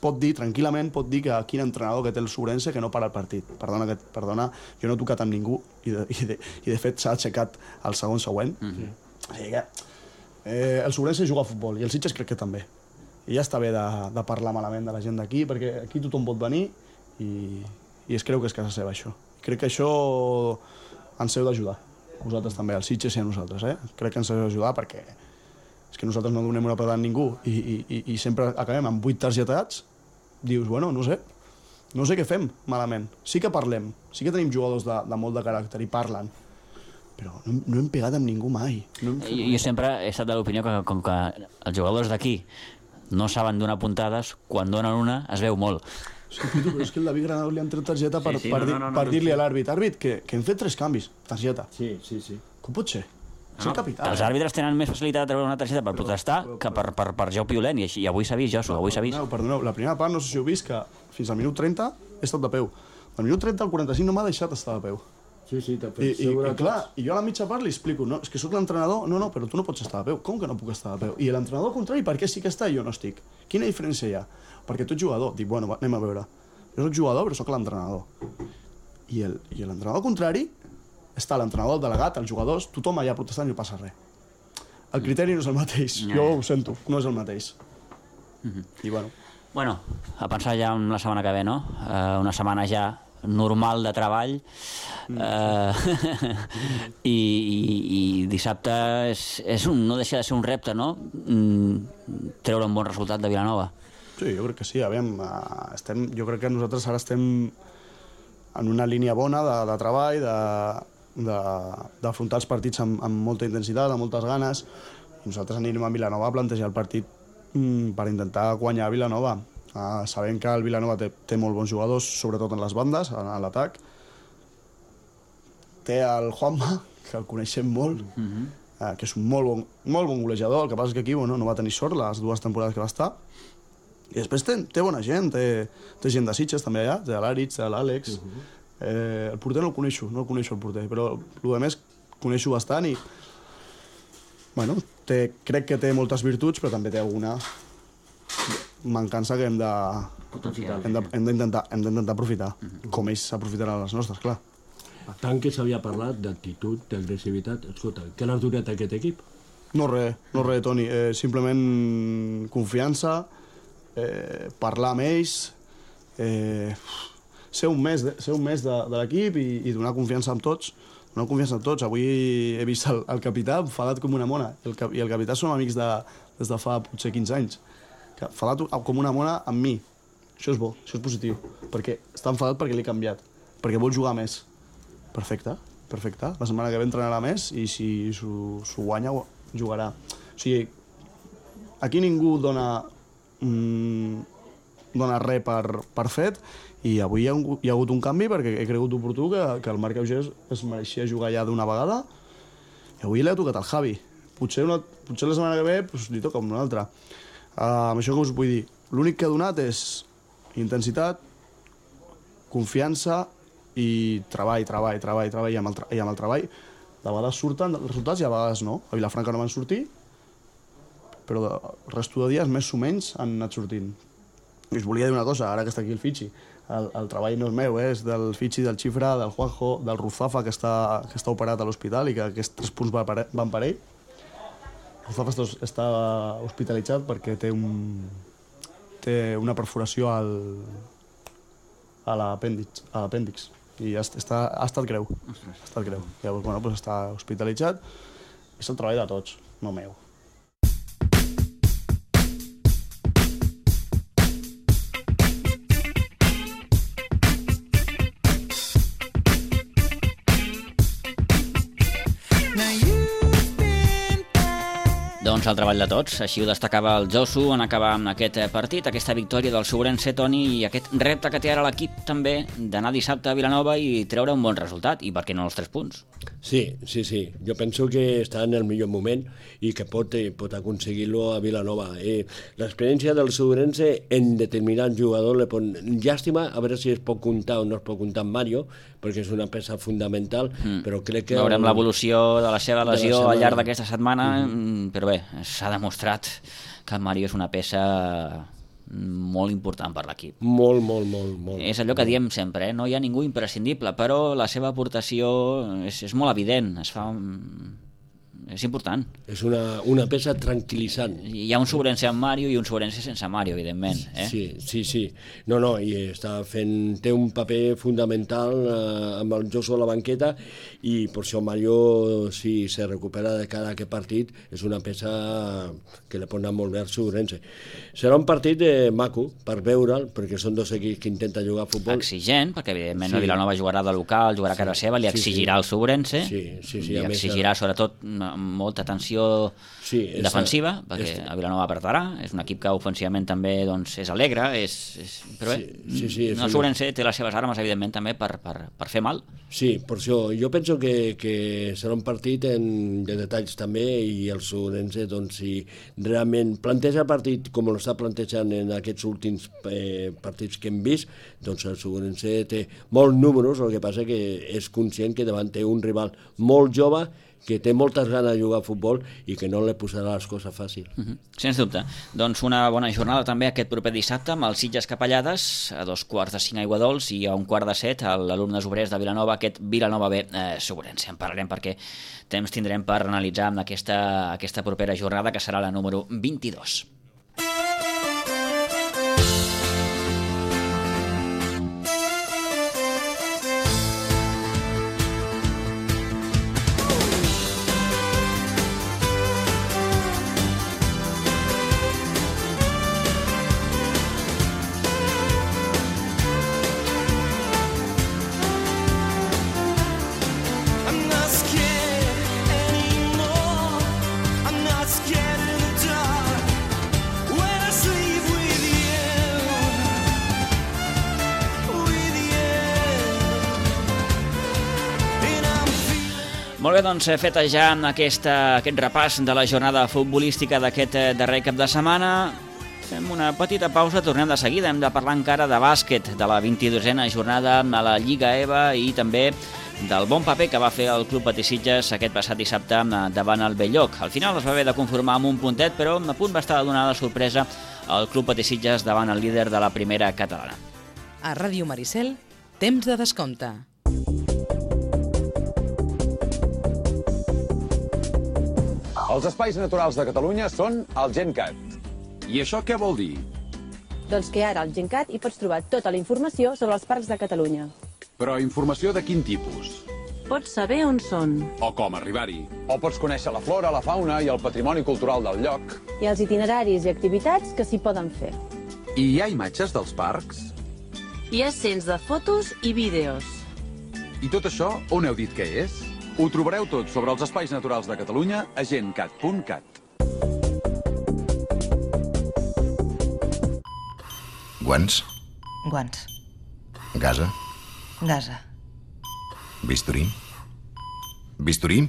pot dir, tranquil·lament, que quin entrenador que té el Sobrense que no para el partit. Perdona, jo no he tocat amb ningú i de fet s'ha aixecat el segon següent. O sigui que el Sobrense juga a futbol i el Sitges crec que també. I ja està bé de parlar malament de la gent d'aquí, perquè aquí tothom pot venir i es creu que és casa seva, això. Crec que això ens heu d'ajudar. Vosaltres també, el Sitges i a nosaltres. Crec que ens heu d'ajudar perquè és que nosaltres no donem una patada a ningú i sempre acabem amb 8 targetats. Dius, bueno, no sé què fem malament. Sí que parlem, sí que tenim jugadors de molt de caràcter i parlen, però no hem pegat amb ningú mai. Jo sempre he estat de l'opinió que com que els jugadors d'aquí no saben donar puntades, quan donen una es veu molt. Sí, Pitu, però és que el David Granado li han tret targeta per dir-li a l'àrbit. Àrbit, que hem fet 3 canvis. Targeta. Sí. Com pot ser? És el capità. Els àrbitres tenen més facilitat de treure una targeta per protestar que per joc violent, i avui s'ha vist, Josu, avui s'ha vist. Perdoneu, la primera part no sé si heu vist que fins al minut 30 he estat de peu. Del minut 30 al 45 no m'ha deixat estar de peu. Sí, t'ha fet I clar, i jo a la mitja part li explico, no, és que sóc l'entrenador, no, però tu no pots estar de peu. Com que no puc estar de peu? I l'entrenador contrari, per què sí que està i jo no estic? Quina diferència hi ha? Perquè tu ets jugador. Dic, bueno, anem a veure. Jo soc jugador, però soc l'entrenador. I l'entrenador contrari està l'entrenador, el delegat, els jugadors, tothom allà protestant i no passa res. El criteri no és el mateix. Jo ho sento, no és el mateix. I bueno. Bueno, a pensar ja en la setmana que ve, no? Una setmana ja normal de treball i dissabte no deixa de ser un repte, no? Treure un bon resultat de Vilanova. Sí, jo crec que sí. Jo crec que nosaltres ara estem en una línia bona de treball, d'afrontar els partits amb molta intensitat, amb moltes ganes. Nosaltres anirem a Vilanova a plantejar el partit per intentar guanyar a Vilanova. Sabem que el Vilanova té molt bons jugadors, sobretot en les bandes, a l'atac. Té el Juanma, que el coneixem molt, que és un molt bon golejador. El que passa és que aquí no va tenir sort les 2 temporades que va estar. I després té bona gent, té gent de Sitges també allà, té l'Àrits, té l'Àlex. El porter no el coneixo el porter, però el més coneixo bastant i bueno, crec que té moltes virtuts, però també té alguna mancança que hem d'intentar aprofitar, com ells s'aprofitaran les nostres, clar. Tant que s'havia parlat d'actitud, d'agressivitat, escolta, què n'has donat a aquest equip? No res, Toni, simplement confiança, parlar amb ells, ser un mes de l'equip i donar confiança amb tots. Avui he vist el capità enfadat com una mona, i el capità som amics des de fa potser 15 anys. Enfadat com una mona amb mi. Això és bo, això és positiu, perquè està enfadat perquè l'he canviat, perquè vol jugar més. Perfecte. La setmana que ve entrenarà més i si s'ho guanya, jugarà. O sigui, aquí ningú dona res per fet, i avui hi ha hagut un canvi perquè he cregut oportú que el Marc Eugès es mereixia jugar ja d'una vegada, i avui l'he tocat al Javi. Potser la setmana que ve li toca una altra. Amb això que us vull dir, l'únic que ha donat és intensitat, confiança i treball, i amb el treball de vegades surten els resultats i a vegades no. A Vilafranca no van sortir, però el resto de dies més o menys han anat sortint. I us volia dir una cosa, ara que està aquí el Fitxi, el treball no és meu, és del Fitxi, del Xifra, del Juanjo, del Ruzafa, que està operat a l'hospital i que aquests 3 punts van per ell. Ruzafa està hospitalitzat perquè té una perforació a l'apèndix i ha estat greu. Llavors, està hospitalitzat. És el treball de tots, no meu. Doncs el treball de tots, així ho destacava el Josu en acabar amb aquest partit, aquesta victòria del Sobrense, Toni, i aquest repte que té ara l'equip també d'anar dissabte a Vilanova i treure un bon resultat, i per què no els 3 punts? Sí. Jo penso que està en el millor moment i que pot aconseguir-lo a Vilanova. L'experiència del Sobrense en determinat jugador li pot... Llàstima, a veure si es pot comptar o no es pot comptar amb Mario, perquè és una peça fundamental, però crec que... Veurem l'evolució de la seva lesió al llarg d'aquesta setmana, però bé, s'ha demostrat que Mario és una peça molt important per l'equip. Molt. És allò que diem sempre, no hi ha ningú imprescindible, però la seva aportació és molt evident, és important. És una peça tranquil·litzant. Hi ha un Sobrense amb Mario i un Sobrense sense Mario, evidentment. Sí. No, i té un paper fundamental amb el Josu a la banqueta, i per això Mario, si se recupera de cada aquest partit, és una peça que li pot anar molt bé al Sobrense. Serà un partit maco per veure'l, perquè són 2 equips que intenten jugar a futbol. Exigent, perquè evidentment Vilanova jugarà de local, jugarà a casa seva, li exigirà el Sobrense, li exigirà sobretot molta tensió defensiva, perquè a Vilanova apretarà, és un equip que ofensivament també és alegre, però bé, el Sobrense té les seves armes evidentment també per fer mal. Sí, per això jo penso que serà un partit de detalls també, i el Sobrense, si realment planteja el partit com l'està plantejant en aquests últims partits que hem vist, doncs el Sobrense té molts números, el que passa que és conscient que davant té un rival molt jove que té moltes ganes de jugar a futbol i que no li posarà les coses fàcil. Sens dubte. Doncs una bona jornada també aquest proper dissabte amb el Sitges Capellades a 2:45 Aiguadols i a 1:15 a l'Alumnes Obrers de Vilanova, aquest Vilanova B Sobrense. En parlarem perquè temps tindrem per analitzar amb aquesta propera jornada, que serà la número 22. Molt bé, doncs feta ja aquest repàs de la jornada futbolística d'aquest darrer cap de setmana, fem una petita pausa, tornem de seguida, hem de parlar encara de bàsquet, de la 22a jornada a la Lliga EVA i també del bon paper que va fer el Club Patí Sitges aquest passat dissabte davant el Belllloc. Al final es va haver de conformar amb un puntet, però a punt va estar donada sorpresa el Club Patí Sitges davant el líder de la primera catalana. A Ràdio Maricel, temps de descompte. Els espais naturals de Catalunya són el GenCat. I això què vol dir? Doncs que ara al GenCat hi pots trobar tota la informació sobre els parcs de Catalunya. Però informació de quin tipus? Pots saber on són. O com arribar-hi. O pots conèixer la flora, la fauna i el patrimoni cultural del lloc. I els itineraris i activitats que s'hi poden fer. I hi ha imatges dels parcs? Hi ha cents de fotos i vídeos. I tot això on heu dit que és? Ho trobareu tot sobre els espais naturals de Catalunya a gencat.cat. Guants? Guants. Gasa? Gasa. Bisturí? Bisturí?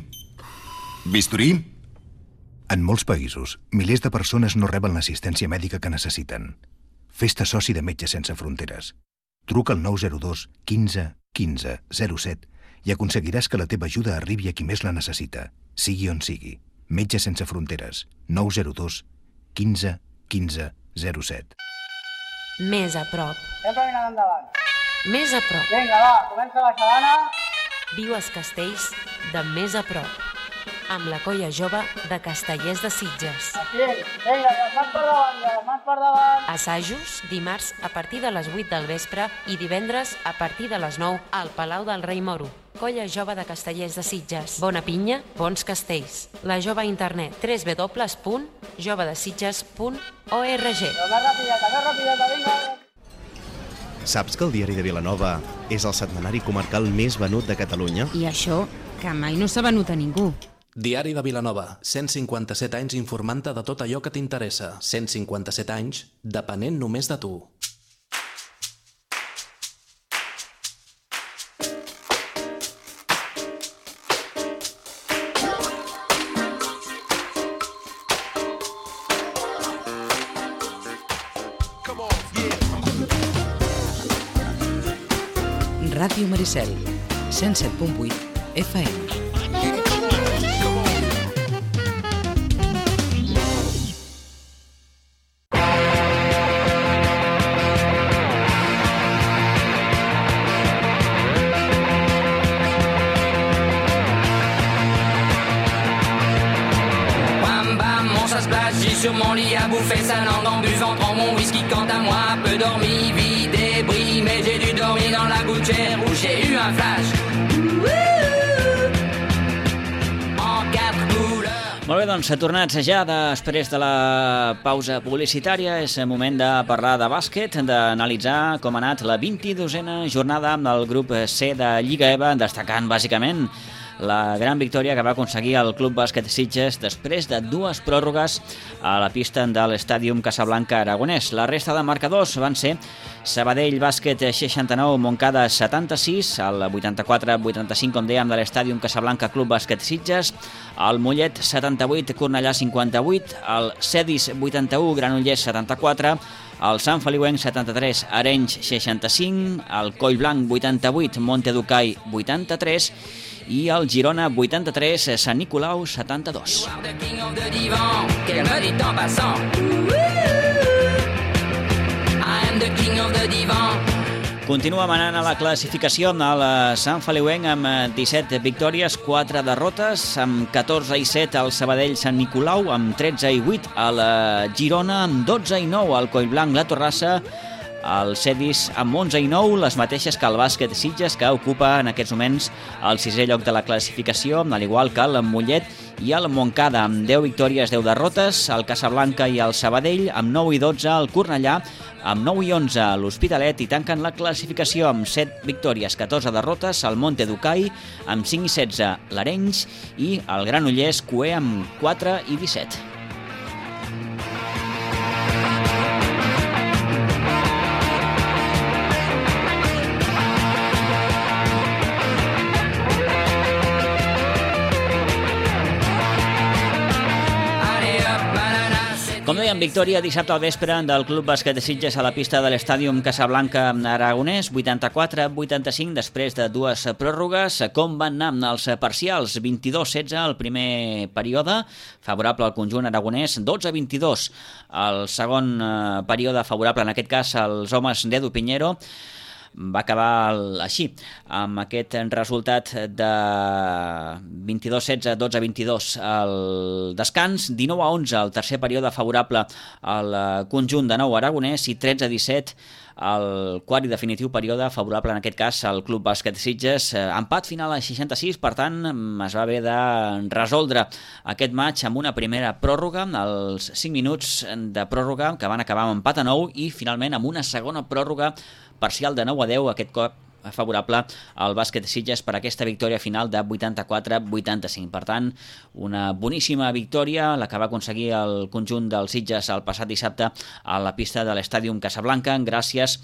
Bisturí? En molts països, milers de persones no reben l'assistència mèdica que necessiten. Fes-te soci de Metges Sense Fronteres. Truca al 902 15 15 07 i aconseguiràs que la teva ajuda arribi a qui més la necessita, sigui on sigui. Metges Sense Fronteres. 902 15 15 07. Més a prop. Sempre mirant endavant. Més a prop. Vinga, va, comença la xalana. Viu als castells de més a prop. Amb la colla jove de Castellers de Sitges. Aquí, vinga, les mans per davant, les mans per davant. Assajos dimarts a partir de les 8 del vespre i divendres a partir de les 9 al Palau del Rei Moro. Colla jove de Castellers de Sitges. Bona pinya, bons castells. La jove a internet www.jovedesitges.org. Més rapideta, vinga. Saps que el Diari de Vilanova és el setmanari comarcal més venut de Catalunya? I això, que mai no s'ha venut a ningú. Diari de Vilanova, 157 anys informant-te de tot allò que t'interessa. 157 anys depenent només de tu. Ràdio Maricel, 107.8 FM. J'ai sur mon lit à bouffer sa langue en buvant, prends mon whisky quant à moi, peu dormi, vie débris, mais j'ai dû dormir dans la gouttière où j'ai eu un flash. En quatre couleurs. Molt bé, doncs, tornats ja després de la pausa publicitària, és moment de parlar de bàsquet, d'analitzar com ha anat la 22a jornada amb el grup C de Lliga EVA, destacant bàsicament la gran victòria que va aconseguir el Club Bàsquet Sitges després de 2 pròrrogues a la pista de l'Estàdium Casablanca Aragonès. La resta de marcadors van ser Sabadell Bàsquet 69, Montcada 76, el 84-85, com dèiem, de l'Estàdium Casablanca Club Bàsquet Sitges, el Mollet 78, Cornellà 58, el Cedis 81, Granollers 74, el Sant Feliuenc 73, Arenys 65, el Collblanc 88, Monteducai 83 i el Girona 83, Sant Nicolau 72. Continua manant a la classificació el Sant Feliuenc amb 17 victòries, 4 derrotes, amb 14 i 7 el Sabadell Sant Nicolau, amb 13 i 8 el Girona, amb 12 i 9 el Collblanc La Torrassa, el Cedis amb 11 i 9, les mateixes que el Bàsquet Sitges, que ocupa en aquests moments el 6è lloc de la classificació, al igual que el Mollet i el Montcada, amb 10 victòries, 10 derrotes, el Casablanca i el Sabadell, amb 9 i 12 el Cornellà, amb 9 i 11 l'Hospitalet, i tanquen la classificació amb 7 victòries, 14 derrotes, el Monteducai, amb 5 i 16 l'Arenys, i el Granollers Cué amb 4 i 17. Com dèiem, victòria dissabte al vespre del Club Bàsquet de Sitges a la pista de l'Estàdium Casablanca Aragonès, 84-85, després de 2 pròrrogues. Com van anar els parcials? 22-16 el primer període, favorable al conjunt aragonès, 12-22 el segon període, favorable en aquest cas als homes d'Edu Piñero. Va acabar així, amb aquest resultat de 22-16, 12-22 al descans, 19-11 el tercer període favorable al conjunt de nou aragonès i 13-17 el quart i definitiu període favorable en aquest cas al Club Bàsquet Sitges. Empat final a 66, per tant es va haver de resoldre aquest matx amb una primera pròrroga, els 5 minuts de pròrroga que van acabar amb empat a 9 i finalment amb una segona pròrroga parcial de 9-10, aquest cop favorable al Bàsquet Sitges per aquesta victòria final de 84-85. Per tant, una boníssima victòria, la que va aconseguir el conjunt dels Sitges el passat dissabte a la pista de l'Estàdium Casablanca, gràcies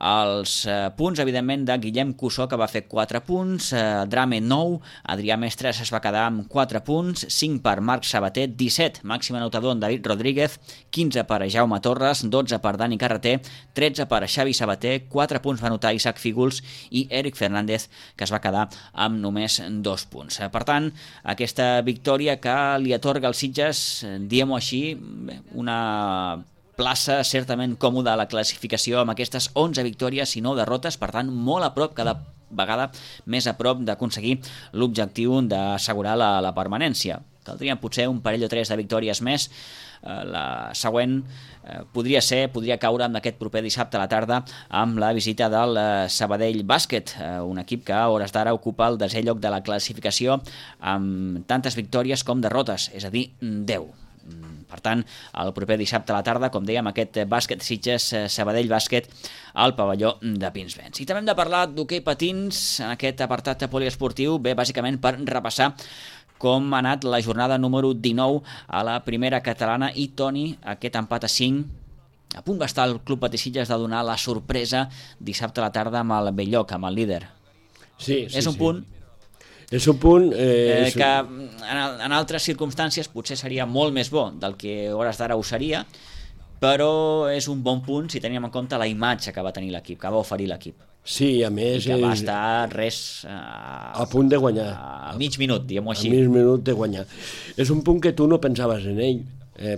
als punts, evidentment, de Guillem Cussó, que va fer 4 punts, Drame 9, Adrià Mestres es va quedar amb 4 punts, 5 per Marc Sabater, 17 màxim anotador en David Rodríguez, 15 per Jaume Torres, 12 per Dani Carreter, 13 per Xavi Sabater, 4 punts va anotar Isaac Fígols i Eric Fernández, que es va quedar amb només 2 punts. Per tant, aquesta victòria que li atorga als Sitges, diguem-ho així, una plaça certament còmoda a la classificació amb aquestes 11 victòries i 9 derrotes, per tant molt a prop, cada vegada més a prop d'aconseguir l'objectiu d'assegurar la permanència. Caldrien potser un parell o 3 de victòries més. La següent podria caure en aquest proper dissabte a la tarda amb la visita del Sabadell Bàsquet, un equip que a hores d'ara ocupa el 10è lloc de la classificació amb tantes victòries com derrotes, és a dir, 10. Per tant, el proper dissabte a la tarda, com dèiem, aquest Bàsquet Sitges, Sabadell Bàsquet al pavelló de Pinsbens. I també hem de parlar d'hoquei patins en aquest apartat poliesportiu, bé, bàsicament per repassar com ha anat la jornada número 19 a la primera catalana i, Toni, aquest empat a 5, a punt va estar el Club Patí-Sitges de donar la sorpresa dissabte a la tarda amb el Belllloc, amb el líder. Sí, és un punt... És un punt... que en altres circumstàncies potser seria molt més bo del que a hores d'ara ho seria, però és un bon punt si tenim en compte la imatge que va tenir l'equip, que va oferir l'equip. Sí, a més... I que va estar a punt de guanyar. A mig minut, diguem-ho així. A mig minut de guanyar. És un punt que tu no pensaves en ell,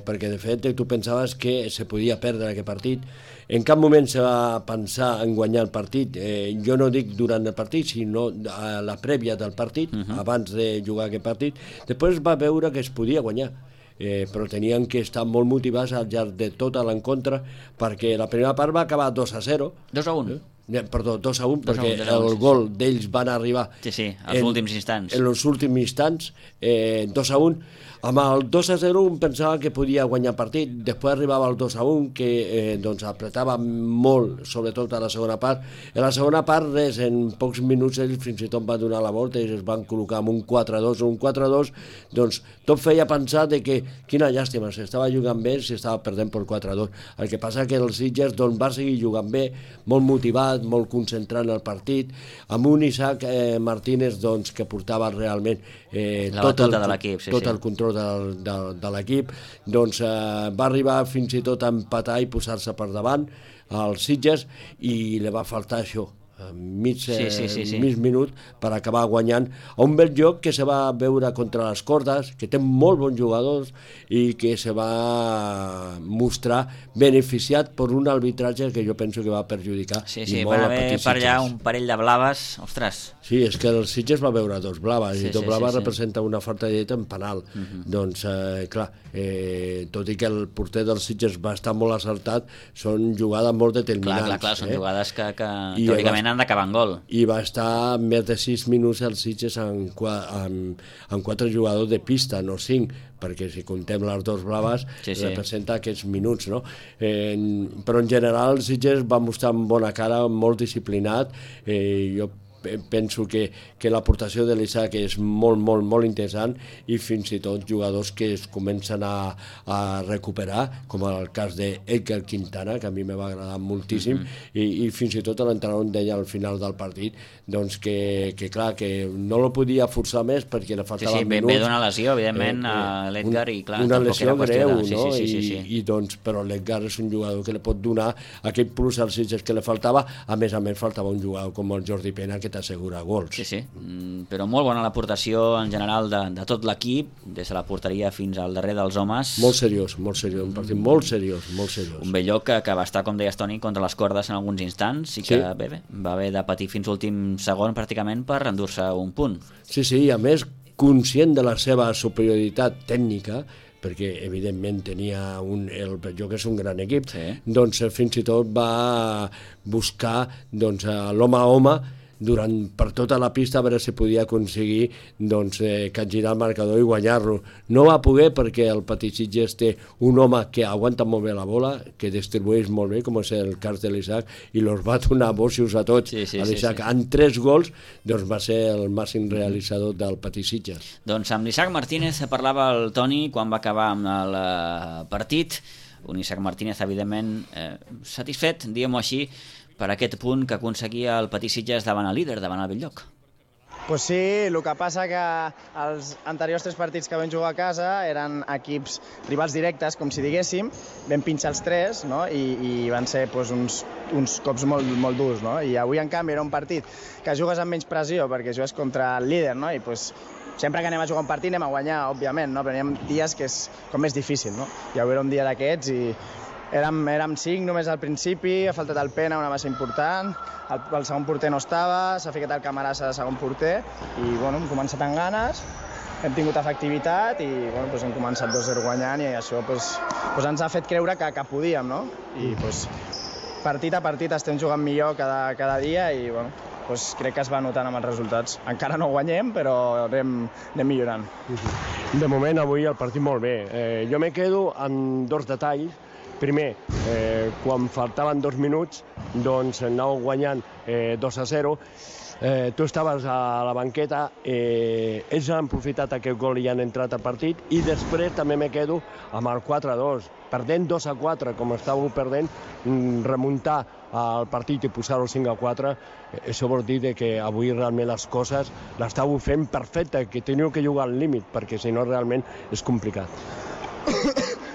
perquè de fet tu pensaves que se podia perdre aquest partit. En cap moment se va pensar en guanyar el partit. Jo no dic durant el partit, sinó a la prèvia del partit, abans de jugar aquest partit. Després va veure que es podia guanyar. Però tenien que estar molt motivats al llarg de tota l'encontre, perquè la primera part va acabar 2-0. 2-1. Perdó, 2-1, perquè el gol d'ells van arribar als últims instants. En els últims instants, 2-1. Amb el 2-0 un pensava que podia guanyar partit, després arribava el 2-1 que apretava molt, sobretot a la segona part. En la segona part, res, en pocs minuts ells fins i tot van donar la volta i es van col·locar amb un 4-2 o un 4-2, doncs tot feia pensar de que quina llàstima, s'estava jugant bé, s'estava perdent per 4-2. El que passa que el Sitges va seguir jugant bé, molt motivat, molt concentrat en el partit, amb un Isaac Martínez que portava realment tot el control de l'equip, va arribar fins i tot a empatar i posar-se per davant al Sitges i li va faltar això, mig minut per acabar guanyant a un Belllloc que se va veure contra les cordes, que té molt bons jugadors i que se va mostrar beneficiat per un arbitratge que jo penso que va perjudicar i molt a Patí-Sitges. Per allà un parell de blaves, ostres. Sí, és que el Sitges va veure dos blaves i dos blaves representa una falta de en penal. Doncs, clar, tot i que el porter del Sitges va estar molt acertat, són jugades molt determinants. Clar, són jugades que teòricament han d'acabar en gol. I va estar més de 6 minuts el Sitges amb 4 jugadors de pista, no 5, perquè si contem les dos blaves representa aquests minuts, no? Però en general el Sitges va mostrar amb bona cara, molt disciplinat. Jo penso que l'aportació de l'Isaac és molt, molt, molt interessant i fins i tot jugadors que es comencen a recuperar, com el cas d'Edgar Quintana, que a mi me va agradar moltíssim, i fins i tot l'entrenador deia al final del partit doncs que clar, que no lo podia forçar més perquè li faltaven minuts. Ve d'una lesió, evidentment, a l'Edgar, i clar, una lesió greu, no? I doncs, però l'Edgar és un jugador que li pot donar aquest plus als Sitges que li faltava. A més faltava un jugador com el Jordi Pena que t'assegura gols. Sí, però molt bona l'aportació en general de tot l'equip, des de la porteria fins al darrer dels homes. Molt seriós, un partit molt seriós. Un Belllloc que va estar, com deies, Toni, contra les cordes en alguns instants i que va haver de patir fins l'últim segon pràcticament per endur-se un punt. Sí, i a més conscient de la seva superioritat tècnica, perquè evidentment tenia el Belllloc és un gran equip, doncs fins i tot va buscar l'home a home per tota la pista a veure si podia aconseguir capgirar el marcador i guanyar-lo. No va poder perquè el Patí-Sitges té un home que aguanta molt bé la bola, que distribueix molt bé, com és el cas de l'Isaac, i els va donar bossos a tots. L'Isaac, en 3 gols, va ser el màxim realitzador del Patí-Sitges. Doncs amb l'Isaac Martínez parlava el Toni quan va acabar amb el partit. Un Isaac Martínez, evidentment, satisfet, diguem-ho així, per aquest punt que aconseguia el Patí-Sitges davant el líder, davant el Belllloc. Pues sí, el que passa que els anteriors 3 partits que vam jugar a casa eren equips rivals directes, com si diguéssim, vam pinxar els 3, no? I van ser uns cops molt durs, no? I avui, en canvi, era un partit que jugues amb menys pressió perquè jugues contra el líder, no? I sempre que anem a jugar un partit anem a guanyar, òbviament, no? Però hi ha dies que és com més difícil, no? I avui era un dia d'aquests i érem 5 només al principi, ha faltat el Pena, una massa important, el segon porter no estava, s'ha ficat el Camarasa de segon porter i hem començat amb ganes, hem tingut efectivitat i hem començat 2-0 guanyant i això ens ha fet creure que podíem, no? I partit a partit estem jugant millor cada dia i crec que es va notant amb els resultats. Encara no guanyem, però anem millorant. De moment, avui el partit molt bé. Jo me quedo amb 2 detalls. Primer, quan faltaven 2 minuts, anàveu guanyant 2-0 tu estaves a la banqueta, ells han aprofitat aquest gol i han entrat al partit, i després també me quedo amb el 4-2, perdent 2-4, com estàveu perdent, remuntar el partit i posar-ho 5-4, això vol dir que avui realment les coses les estàveu fent perfecte, que teniu que jugar al límit, perquè si no realment és complicat.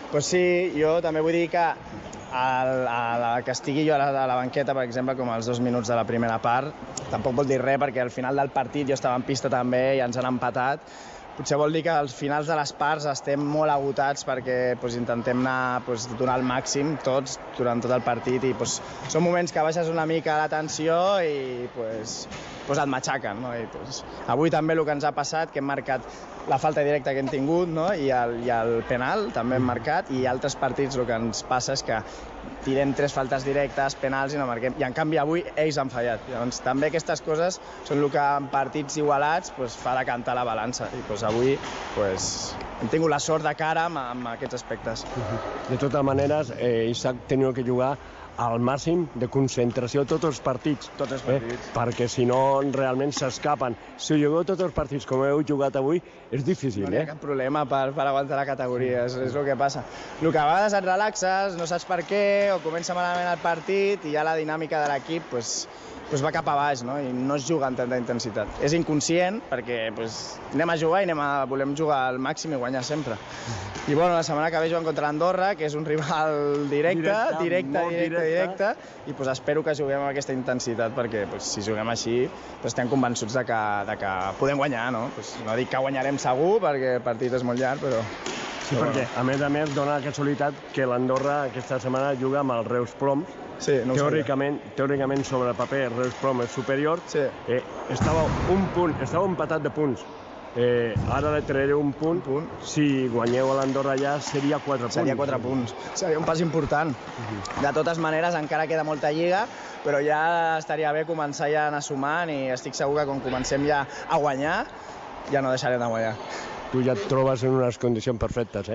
Pues sí, jo també vull dir que que estigui jo a la banqueta, per exemple, com els 2 minuts de la primera part, tampoc vol dir res, perquè al final del partit jo estava en pista també i ens han empatat. Potser vol dir que als finals de les parts estem molt agotats perquè intentem anar donar el màxim tots durant tot el partit i són moments que baixes una mica la tensió i et matxaquen. Avui també el que ens ha passat, que hem marcat la falta directa que hem tingut i el penal també hem marcat, i altres partits el que ens passa és que tirem 3 faltes directes, penals i no marquem, i en canvi avui ells han fallat. Llavors també aquestes coses són el que en partits igualats fa decantar la balança, i avui hem tingut la sort de cara amb aquests aspectes. De totes maneres, Isaac teniu que jugar al màxim de concentració tots els partits. Tots els partits. Perquè si no realment s'escapen. Si jugueu tots els partits com heu jugat avui, és difícil, No hi ha cap problema per aguantar la categoria, és el que passa. El que a vegades et relaxes, no saps per què, o comença malament el partit i ja la dinàmica de l'equip va cap a baix, i no es juga amb tanta intensitat. És inconscient, perquè anem a jugar i volem jugar al màxim i guanyar sempre. I la setmana que ve juguem contra l'Andorra, que és un rival directe, i espero que juguem amb aquesta intensitat, perquè si juguem així estem convençuts de que podem guanyar. No dic que guanyarem segur, perquè el partit és molt llarg, però... Sí, perquè a més dona la casualitat que l'Andorra aquesta setmana juga amb el Reus Ploms. Sí, no teòricament sobre el paper Reus Ploms és superior. Estava empatat de punts. Ara li trauré un punt. Si guanyeu a l'Andorra ja seria 4 punts. Seria 4 punts. Seria un pas important. De totes maneres encara queda molta lliga, però ja estaria bé començar ja a anar sumant, i estic segur que quan comencem ja a guanyar ja no deixarem de guanyar. Tu ja et trobes en unes condicions perfectes,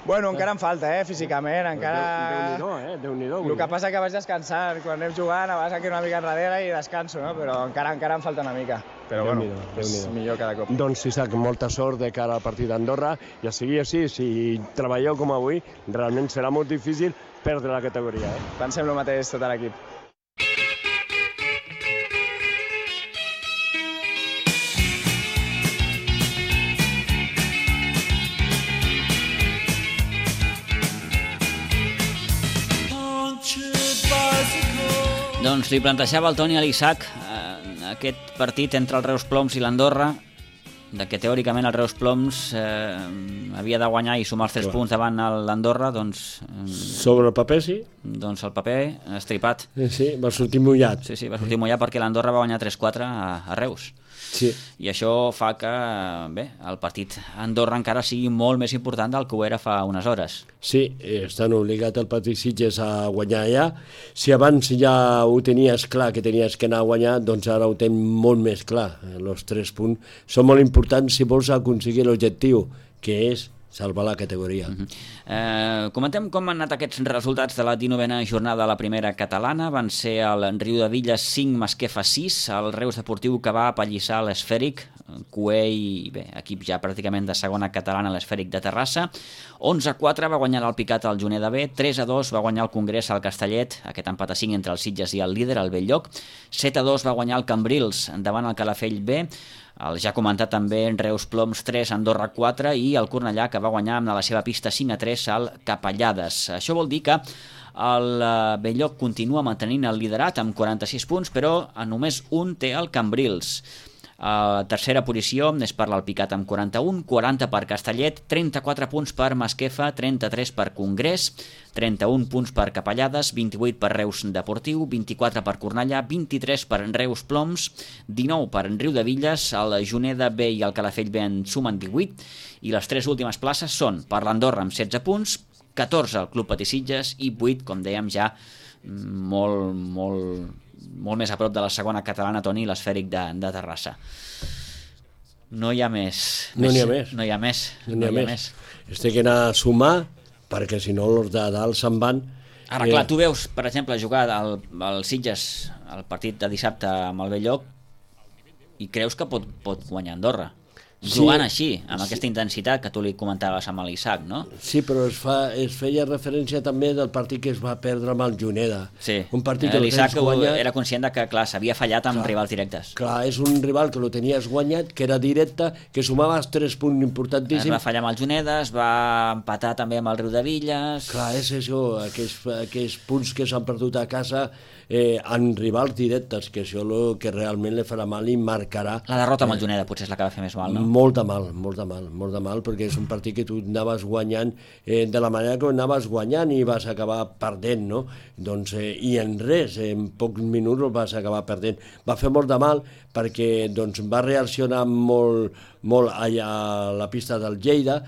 Encara em falta, físicament, encara... Déu-n'hi-do. El que passa que vaig descansant, quan anem jugant vas aquí una mica enrere i descanso, però encara em falta una mica. Però és millor cada cop. Doncs Isaac, molta sort de cara al partit d'Andorra, i a seguir així, si treballeu com avui, realment serà molt difícil perdre la categoria. Pensem el mateix tot l'equip. Doncs li plantejava el Toni a l'Isaac aquest partit entre el Reus Ploms i l'Andorra, de que teòricament el Reus Ploms havia de guanyar i sumar els 3 punts davant l'Andorra, doncs... Sobre el paper, sí? Doncs el paper estripat. Sí, va sortir mullat. Sí, va sortir mullat perquè l'Andorra va guanyar 3-4 a Reus. Sí. I això fa que el partit a Andorra encara sigui molt més important del que ho era fa unes hores. Sí, estan obligats el partit Sitges a guanyar allà. Si abans ja ho tenies clar que tenies que anar a guanyar, doncs ara ho tens molt més clar. Els 3 punts són molt importants si vols aconseguir l'objectiu, que és salvar la categoria. Comentem com han anat aquests resultats de la 19a jornada de la primera catalana. Van ser el Riudevilles 5, Masquefa 6, el Reus Deportiu que va apallissar l'Esfèric, Cuell, equip ja pràcticament de segona catalana, l'Esfèric de Terrassa. 11-4 va guanyar l'Alpicat al Juneda B, 3-2 va guanyar el Congrés al Castellet, aquest empat a 5 entre els Sitges i el líder, el Belllloc. 7-2 va guanyar el Cambrils davant el Calafell B, el ja comentat també Reus Ploms 3, Andorra 4, i el Cornellà que va guanyar amb la seva pista 5-3 al Capellades. Això vol dir que el Belllloc continua mantenint el liderat amb 46 punts, però només un té el Cambrils. A tercera posició és per l'Alpicat amb 41, 40 per Castellet, 34 punts per Masquefa, 33 per Congrés, 31 punts per Capellades, 28 per Reus Deportiu, 24 per Cornellà, 23 per Reus Ploms, 19 per Riudevilles, el Juneda B i el Calafell B en sumen 18, i les 3 últimes places són per l'Andorra amb 16 punts, 14 el Club Patí Sitges i 8, com dèiem ja, molt més a prop de la segona catalana, Toni, l'Esfèric de Terrassa. No hi ha més. No n'hi ha més. No hi ha més. Es té que anar a sumar, perquè si no els de dalt se'n van. Ara, clar, tu veus, per exemple, jugar al Sitges, el partit de dissabte amb el Belllloc, i creus que pot guanyar Andorra. Jugant així, amb aquesta intensitat que tu li comentaves amb l'Isaac, no? Sí, però es feia referència també del partit que es va perdre amb el Juneda. Sí, un partit que l'Isaac era conscient que, clar, s'havia fallat amb rivals directes. Clar, és un rival que lo tenies guanyat, que era directe, que sumaves 3 punts importantíssims. Es va fallar amb el Juneda, es va empatar també amb el Riudevilles... Clar, és això, aquells punts que s'han perdut a casa en rivals directes, que això que realment li farà mal i marcarà... La derrota amb el Juneda potser és la que va fer més mal, no? Molt de mal, perquè és un partit que tu anaves guanyant de la manera que anaves guanyant i vas acabar perdent, no? Doncs, i en res, en pocs minuts vas acabar perdent. Va fer molt de mal perquè doncs, va reaccionar molt allà a la pista del Lleida,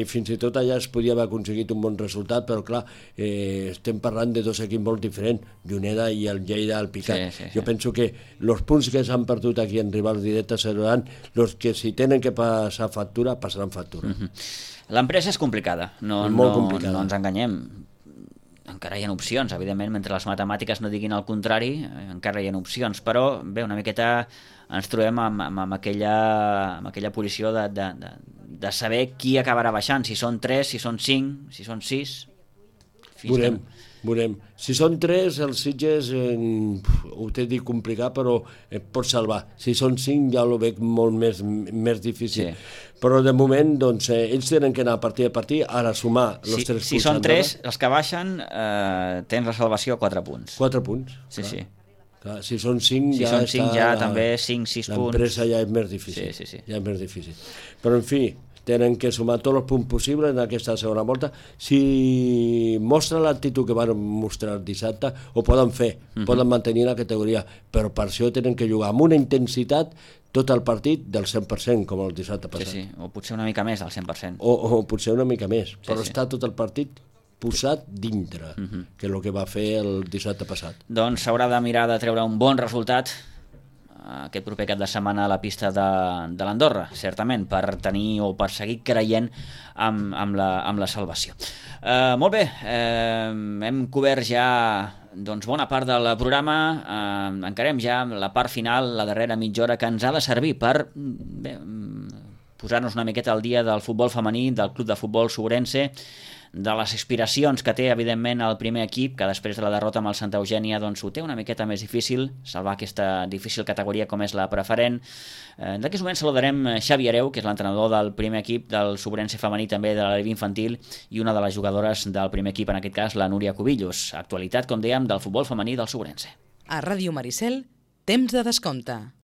fins i tot allà es podia haver aconseguit un bon resultat, però clar, estem parlant de 2 equips molt diferents, Juneda i el Lleida al Picat. Sí. Jo penso que els punts que s'han perdut aquí en rivals directes seran els que si tenen que passar factura, passaran factura. L'empresa és complicada, molt complicada. No ens enganyem. Encara hi ha opcions, evidentment, mentre les matemàtiques no diguin el contrari, encara hi ha opcions, però bé, una miqueta ens trobem amb aquella posició de saber qui acabarà baixant, si són 3, si són 5, si són 6... Veurem. Si són 3, els Sitges ho té dit complicat, però pot salvar. Si són 5 ja ho veig molt més difícil. Sí. Però de moment doncs, ells tenen que anar partit a partit, ara sumar els 3 punts. Si són 3, els que baixen tens la salvació a 4 punts. 4 punts. Sí. Clar, si són 5 si són 5 ja també 5-6 punts. L'empresa ja és més difícil. Sí. Ja és més difícil. Però en fi, tenen que sumar tots els punts possibles en aquesta segona volta. Si mostra l'actitud que van mostrar el dissabte, ho poden fer, poden mantenir la categoria, però per això tenen que jugar amb una intensitat tot el partit del 100%, com el dissabte passat. Sí, o potser una mica més del 100%. O potser una mica més, però està tot el partit posat dintre, que és el que va fer el dissabte passat. Doncs s'haurà de mirar de treure un bon resultat aquest proper cap de setmana a la pista de l'Andorra, certament, per tenir o per seguir creient amb la salvació. Molt bé, hem cobert ja doncs, bona part del programa, encarem ja la part final, la darrera mitja hora, que ens ha de servir per posar-nos una miqueta al dia del futbol femení, del Club de Futbol Sobrense, de les aspiracions que té, evidentment, el primer equip, que després de la derrota amb el Santa Eugènia doncs, ho té una miqueta més difícil, salvar aquesta difícil categoria com és la preferent. D'aquí moment saludarem Xavi Hereu, que és l'entrenador del primer equip del Sobrense femení, també de l'equip infantil, i una de les jugadores del primer equip, en aquest cas, la Núria Cubillos. Actualitat, com dèiem, del futbol femení del Sobrense. A Ràdio Maricel, temps de descompte.